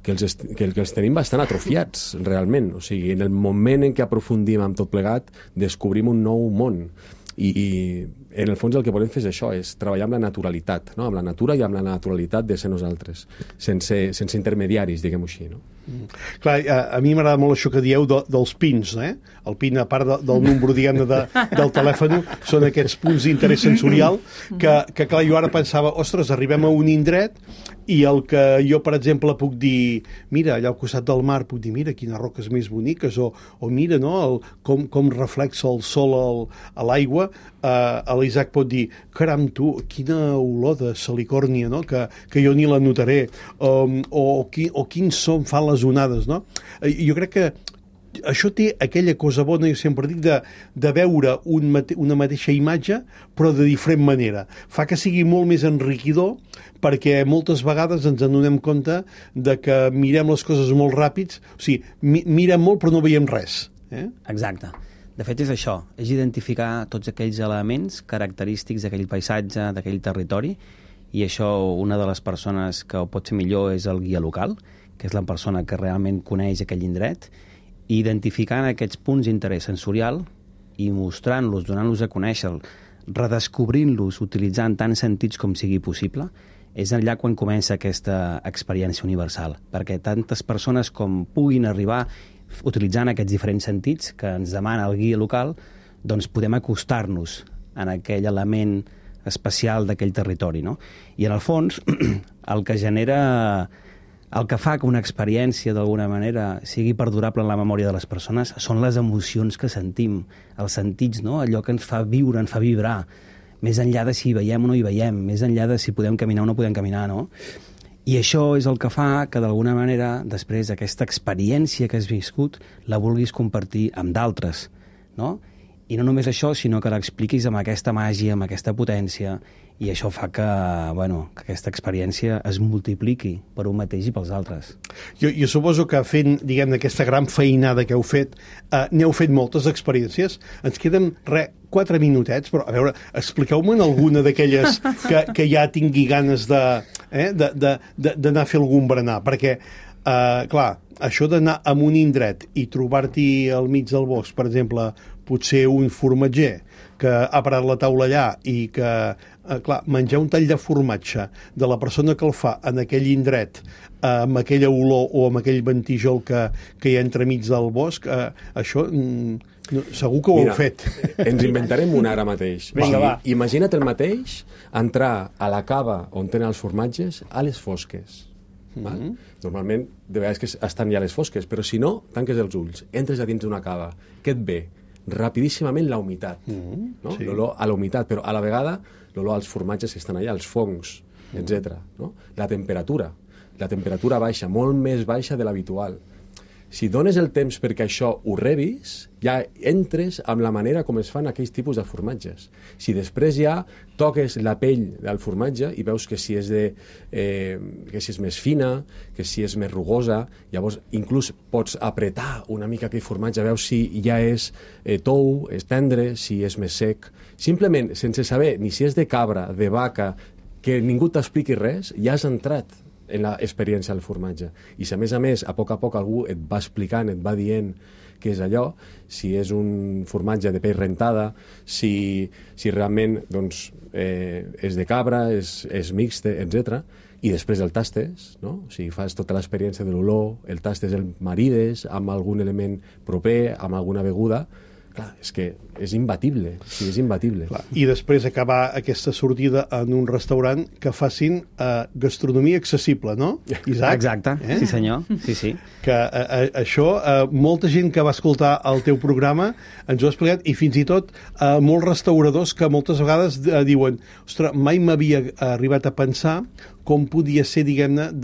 que els tenim bastant atrofiats, realment. O sigui, en el moment en què aprofundim amb tot plegat, descobrim un nou món. I en el fons el que volem fer és això, és treballar amb la naturalitat, no? Amb la natura i amb la naturalitat de ser nosaltres, sense intermediaris, diguem-ho així, no? Clar, a mi m'agrada molt això que dieu dels pins, eh? El pin, a part del número, diguem-ne, del telèfon, són aquests punts d'interès sensorial que, clar, jo ara pensava, ostres, arribem a un indret i el que jo, per exemple, puc dir, mira, allà al costat del mar, puc dir, mira, quines roques més boniques, o mira, no?, com reflexa el sol a l'aigua. L'Isaac pot dir, caram, tu, quina olor de salicòrnia, no?, que jo ni la notaré, o quin son fan les onades, no? Jo crec que això té aquella cosa bona, jo sempre dic, de veure una mateixa imatge, però de diferent manera. Fa que sigui molt més enriquidor, perquè moltes vegades ens adonem compte de que mirem les coses molt ràpids, o sigui, mirem molt però no veiem res. Exacte. De fet, és això, és identificar tots aquells elements característics d'aquell paisatge, d'aquell territori, i això, una de les persones que ho pot fer millor és el guia local, que és la persona que realment coneix aquell indret, i identificant aquests punts d'interès sensorial i mostrant-los, donant-los a conèixer, redescobrint-los, utilitzant tants sentits com sigui possible, és allà quan comença aquesta experiència universal, perquè tantes persones com puguin arribar utilitzant aquests diferents sentits que ens demana el guia local, doncs podem acostar-nos en aquell element especial d'aquell territori, no? I en el fons, el que genera, el que fa que una experiència d'alguna manera sigui perdurable en la memòria de les persones són les emocions que sentim, els sentits, no? Allò que ens fa viure, ens fa vibrar, més enllà de si hi veiem o no hi veiem, més enllà de si podem caminar o no podem caminar, no? I això és el que fa que, d'alguna manera, després d'aquesta experiència que has viscut, la vulguis compartir amb d'altres, no? I no només això, sinó que l'expliquis amb aquesta màgia, amb aquesta potència, i això fa que, bueno, que aquesta experiència es multipliqui per un mateix i pels altres. Jo suposo que fent, diguem, aquesta gran feinada que heu fet, n'heu fet moltes experiències. Ens queden, 4 minutets, però, a veure, expliqueu-me'n alguna d'aquelles que ja tingui ganes d'anar a fer algun berenar, perquè, clar, això d'anar a un indret i trobar-t'hi al mig del bosc, per exemple, potser un formatger que ha parat la taula allà i que, clar, menjar un tall de formatge de la persona que el fa en aquell indret, amb aquella olor o amb aquell ventijol que hi ha entremig del bosc, això segur que ho heu fet. Ens inventarem una ara mateix. Vinga, va. Imagina't el mateix entrar a la cava on tenen els formatges a les fosques. Normalment, de vegades que estan ja a les fosques, però si no, tanques els ulls, entres a dins d'una cava. Què et ve? Rapidíssimament la humitat, no? Sí. L'olor a la humitat, però a la vegada l'olor als formatges que estan allà, els fongs, etc. No? La temperatura baixa, molt més baixa de l'habitual. Si dones el temps perquè això ho rebis, ja entres amb la manera com es fan aquells tipus de formatges. Si després ja toques la pell del formatge i veus que si és més fina, que si és més rugosa, llavors inclús pots apretar una mica aquell formatge, veus si ja és tou, és tendre, si és més sec. Simplement, sense saber ni si és de cabra, de vaca, que ningú t'expliqui res, ja has entrat en l'experiència del formatge. I si a més, a poc algú et va explicant, et va dient què és allò, si és un formatge de pell rentada, si realment doncs, és de cabra, és mixte, etc. I després el tastes, no? O sigui, fas tota l'experiència de l'olor, el tastes, el marides amb algun element proper, amb alguna beguda. Clar, és que és imbatible, sí, és imbatible. Clar. I després acabar aquesta sortida en un restaurant que facin gastronomia accessible, no, Isaac? Exacte, sí senyor, sí. Que això, molta gent que va escoltar el teu programa ens ho ha explicat, i fins i tot molts restauradors que moltes vegades diuen, ostres, mai m'havia arribat a pensar com podia ser, diguem-ne,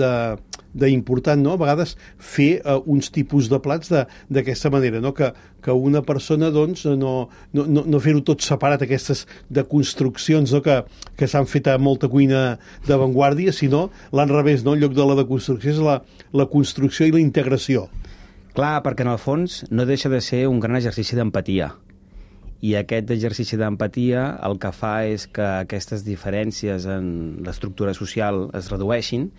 d'important, no? A vegades fer uns tipus de plats d'aquesta manera, no? Que una persona, doncs, no fer-ho tot separat, aquestes deconstruccions, no? Que s'han fet a molta cuina d'avantguàrdia, sinó l'enrevés, no? En lloc de la deconstrucció és la construcció i la integració. Clar, perquè en el fons no deixa de ser un gran exercici d'empatia. I aquest exercici d'empatia el que fa és que aquestes diferències en l'estructura social es redueixin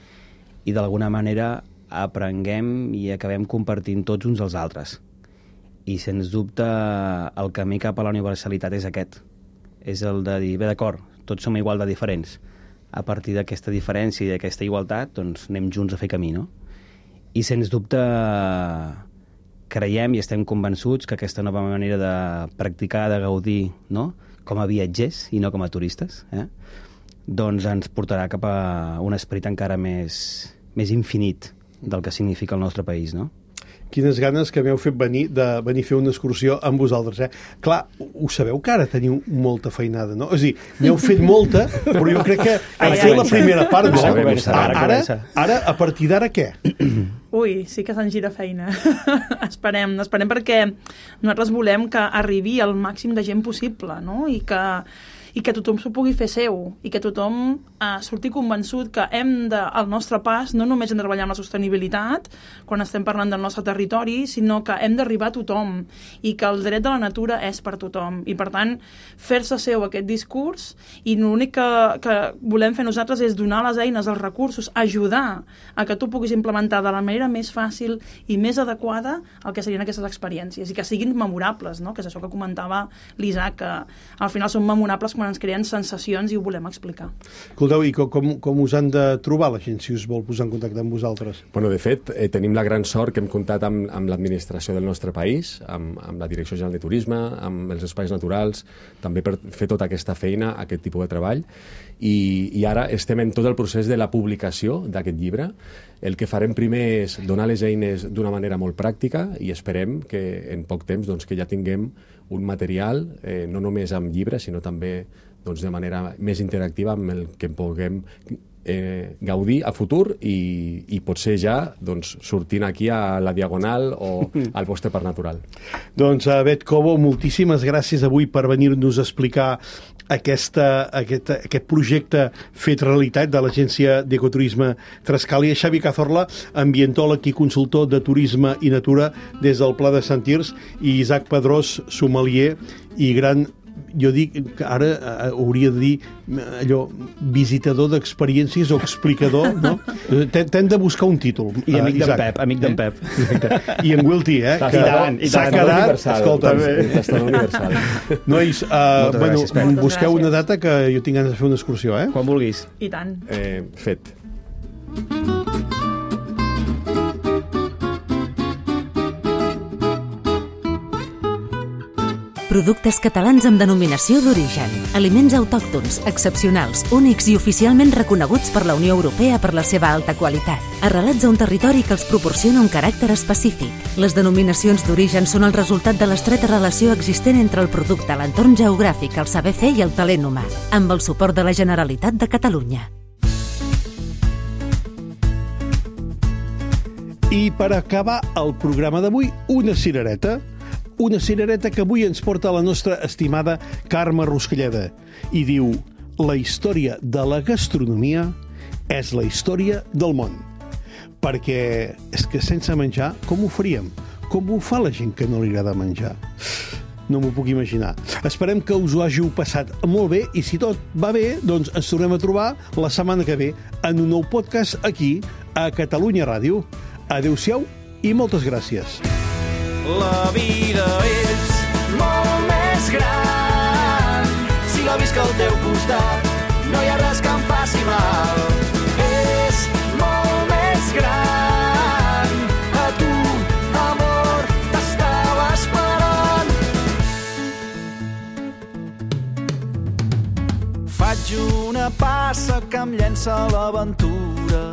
i d'alguna manera aprenguem i acabem compartint tots uns als altres. I sens dubte el camí cap a la universalitat és aquest. és el de dir, bé, d'acord, tots som igual de diferents. A partir d'aquesta diferència i d'aquesta igualtat, doncs anem junts a fer camí, no? I sens dubte creiem i estem convençuts que aquesta nova manera de practicar, de gaudir, no?, com a viatgers i no com a turistes, doncs ens portarà cap a un esperit encara més infinit del que significa el nostre país, no? Quines ganes que m'heu fet venir a fer una excursió amb vosaltres, Clar, ho sabeu que ara teniu molta feinada, no? És a dir, n'heu fet molta, però jo crec que heu fet la primera part, no? Ara, a partir d'ara, què? Ui, sí que se'n gira feina. Esperem perquè nosaltres volem que arribi al màxim de gent possible, no? I que tothom s'ho pugui fer seu, i que tothom surti convençut que al nostre pas no només hem de treballar amb la sostenibilitat quan estem parlant del nostre territori, sinó que hem d'arribar a tothom, i que el dret de la natura és per tothom. I per tant, fer-se seu aquest discurs, i l'únic que volem fer nosaltres és donar les eines, els recursos, ajudar a que tu puguis implementar de la manera més fàcil i més adequada el que serien aquestes experiències, i que siguin memorables, no? Que és això que comentava l'Isaac, que al final són memorables quan ens creen sensacions i ho volem explicar. Escolteu, i com us han de trobar la gent si us vol posar en contacte amb vosaltres? Bueno, de fet, tenim la gran sort que hem comptat amb l'administració del nostre país, amb la Direcció General de Turisme, amb els espais naturals, també per fer tota aquesta feina, aquest tipus de treball, i ara estem en tot el procés de la publicació d'aquest llibre. El que farem primer és donar les eines d'una manera molt pràctica i esperem que en poc temps doncs, que ja tinguem un material, no només amb llibres, sinó també doncs, de manera més interactiva amb el que puguem gaudir a futur i potser ja doncs, sortint aquí a la Diagonal o al vostre parc natural. Doncs, Bet Cobo, moltíssimes gràcies avui per venir-nos a explicar aquest projecte fet realitat de l'Agència d'Ecoturisme Trescalia. Xavi Cazorla, ambientòleg i consultor de turisme i natura des del Pla de Sant Tirs, i Isaac Pedrós, sommelier i gran, jo dic que ara hauria de dir allò, visitador d'experiències o explicador, no? T'hem de buscar un títol. I amic d'en Pep. I en Wilty, que s'ha quedat... Escolta, universal. Nois, busqueu una data que jo tinc ganes de fer una excursió, Quan vulguis. I tant. Fet. Productes catalans amb denominació d'origen. Aliments autòctons, excepcionals, únics i oficialment reconeguts per la Unió Europea per la seva alta qualitat. Arrelats a un territori que els proporciona un caràcter específic. Les denominacions d'origen són el resultat de l'estreta relació existent entre el producte, l'entorn geogràfic, el saber fer i el talent humà, amb el suport de la Generalitat de Catalunya. I per acabar el programa d'avui, una cirereta que avui ens porta la nostra estimada Carme Ruscalleda i diu: la història de la gastronomia és la història del món. Perquè és que sense menjar, com ho faríem? Com ho fa la gent que no li agrada menjar? No m'ho puc imaginar. Esperem que us ho hàgiu passat molt bé i si tot va bé, doncs ens tornem a trobar la setmana que ve en un nou podcast aquí a Catalunya Ràdio. Adéu-siau i moltes gràcies. La vida és molt més gran si la visc al teu costat. No hi ha res que em faci mal. És molt més gran. A tu, amor, t'estava esperant. Faig una passa que em llença a l'aventura.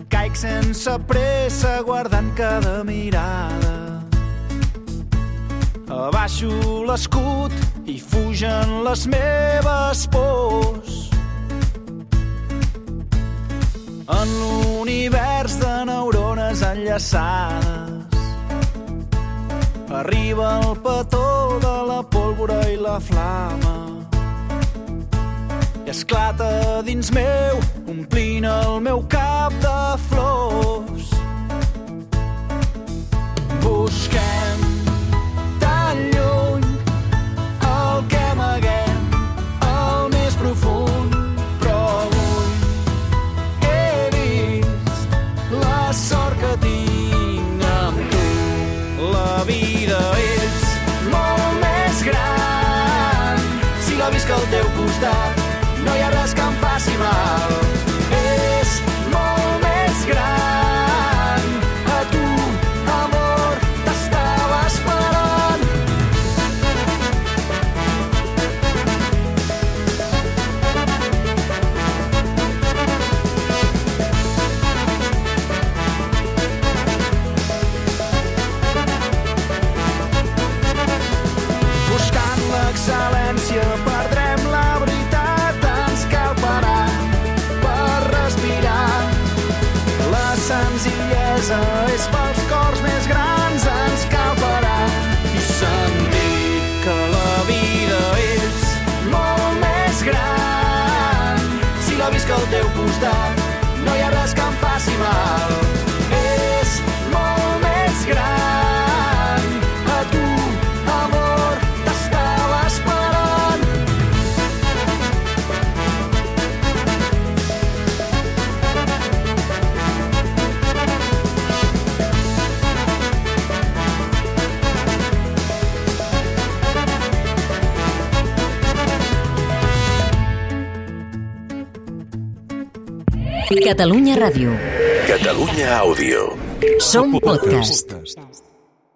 Caic sense pressa guardant cada mirada. Abaixo l'escut i fugen les meves pors. En l'univers de neurones enllaçades arriba el petó de la pólvora i la flama. I esclata dins meu, omplint el meu cap de flors. Busquem tan lluny el que amaguem al més profund, però avui he vist la sort que tinc amb tu. La vida és molt més gran costat, no hi ha res que em faci mal. És molt més gran. A tu, amor, t'estava esperant. Buscant l'excel·lència perdrem la veritat, ens cal parar per respirar. La senzillesa és pels cors més grans, ens cal parar i sentir que la vida és molt més gran. Si la visc al teu costat, no hi ha res que em faci mal. És molt més gran. A tu, amor, t'estava esperant. Catalunya Ràdio. Catalunya Àudio. Som podcast.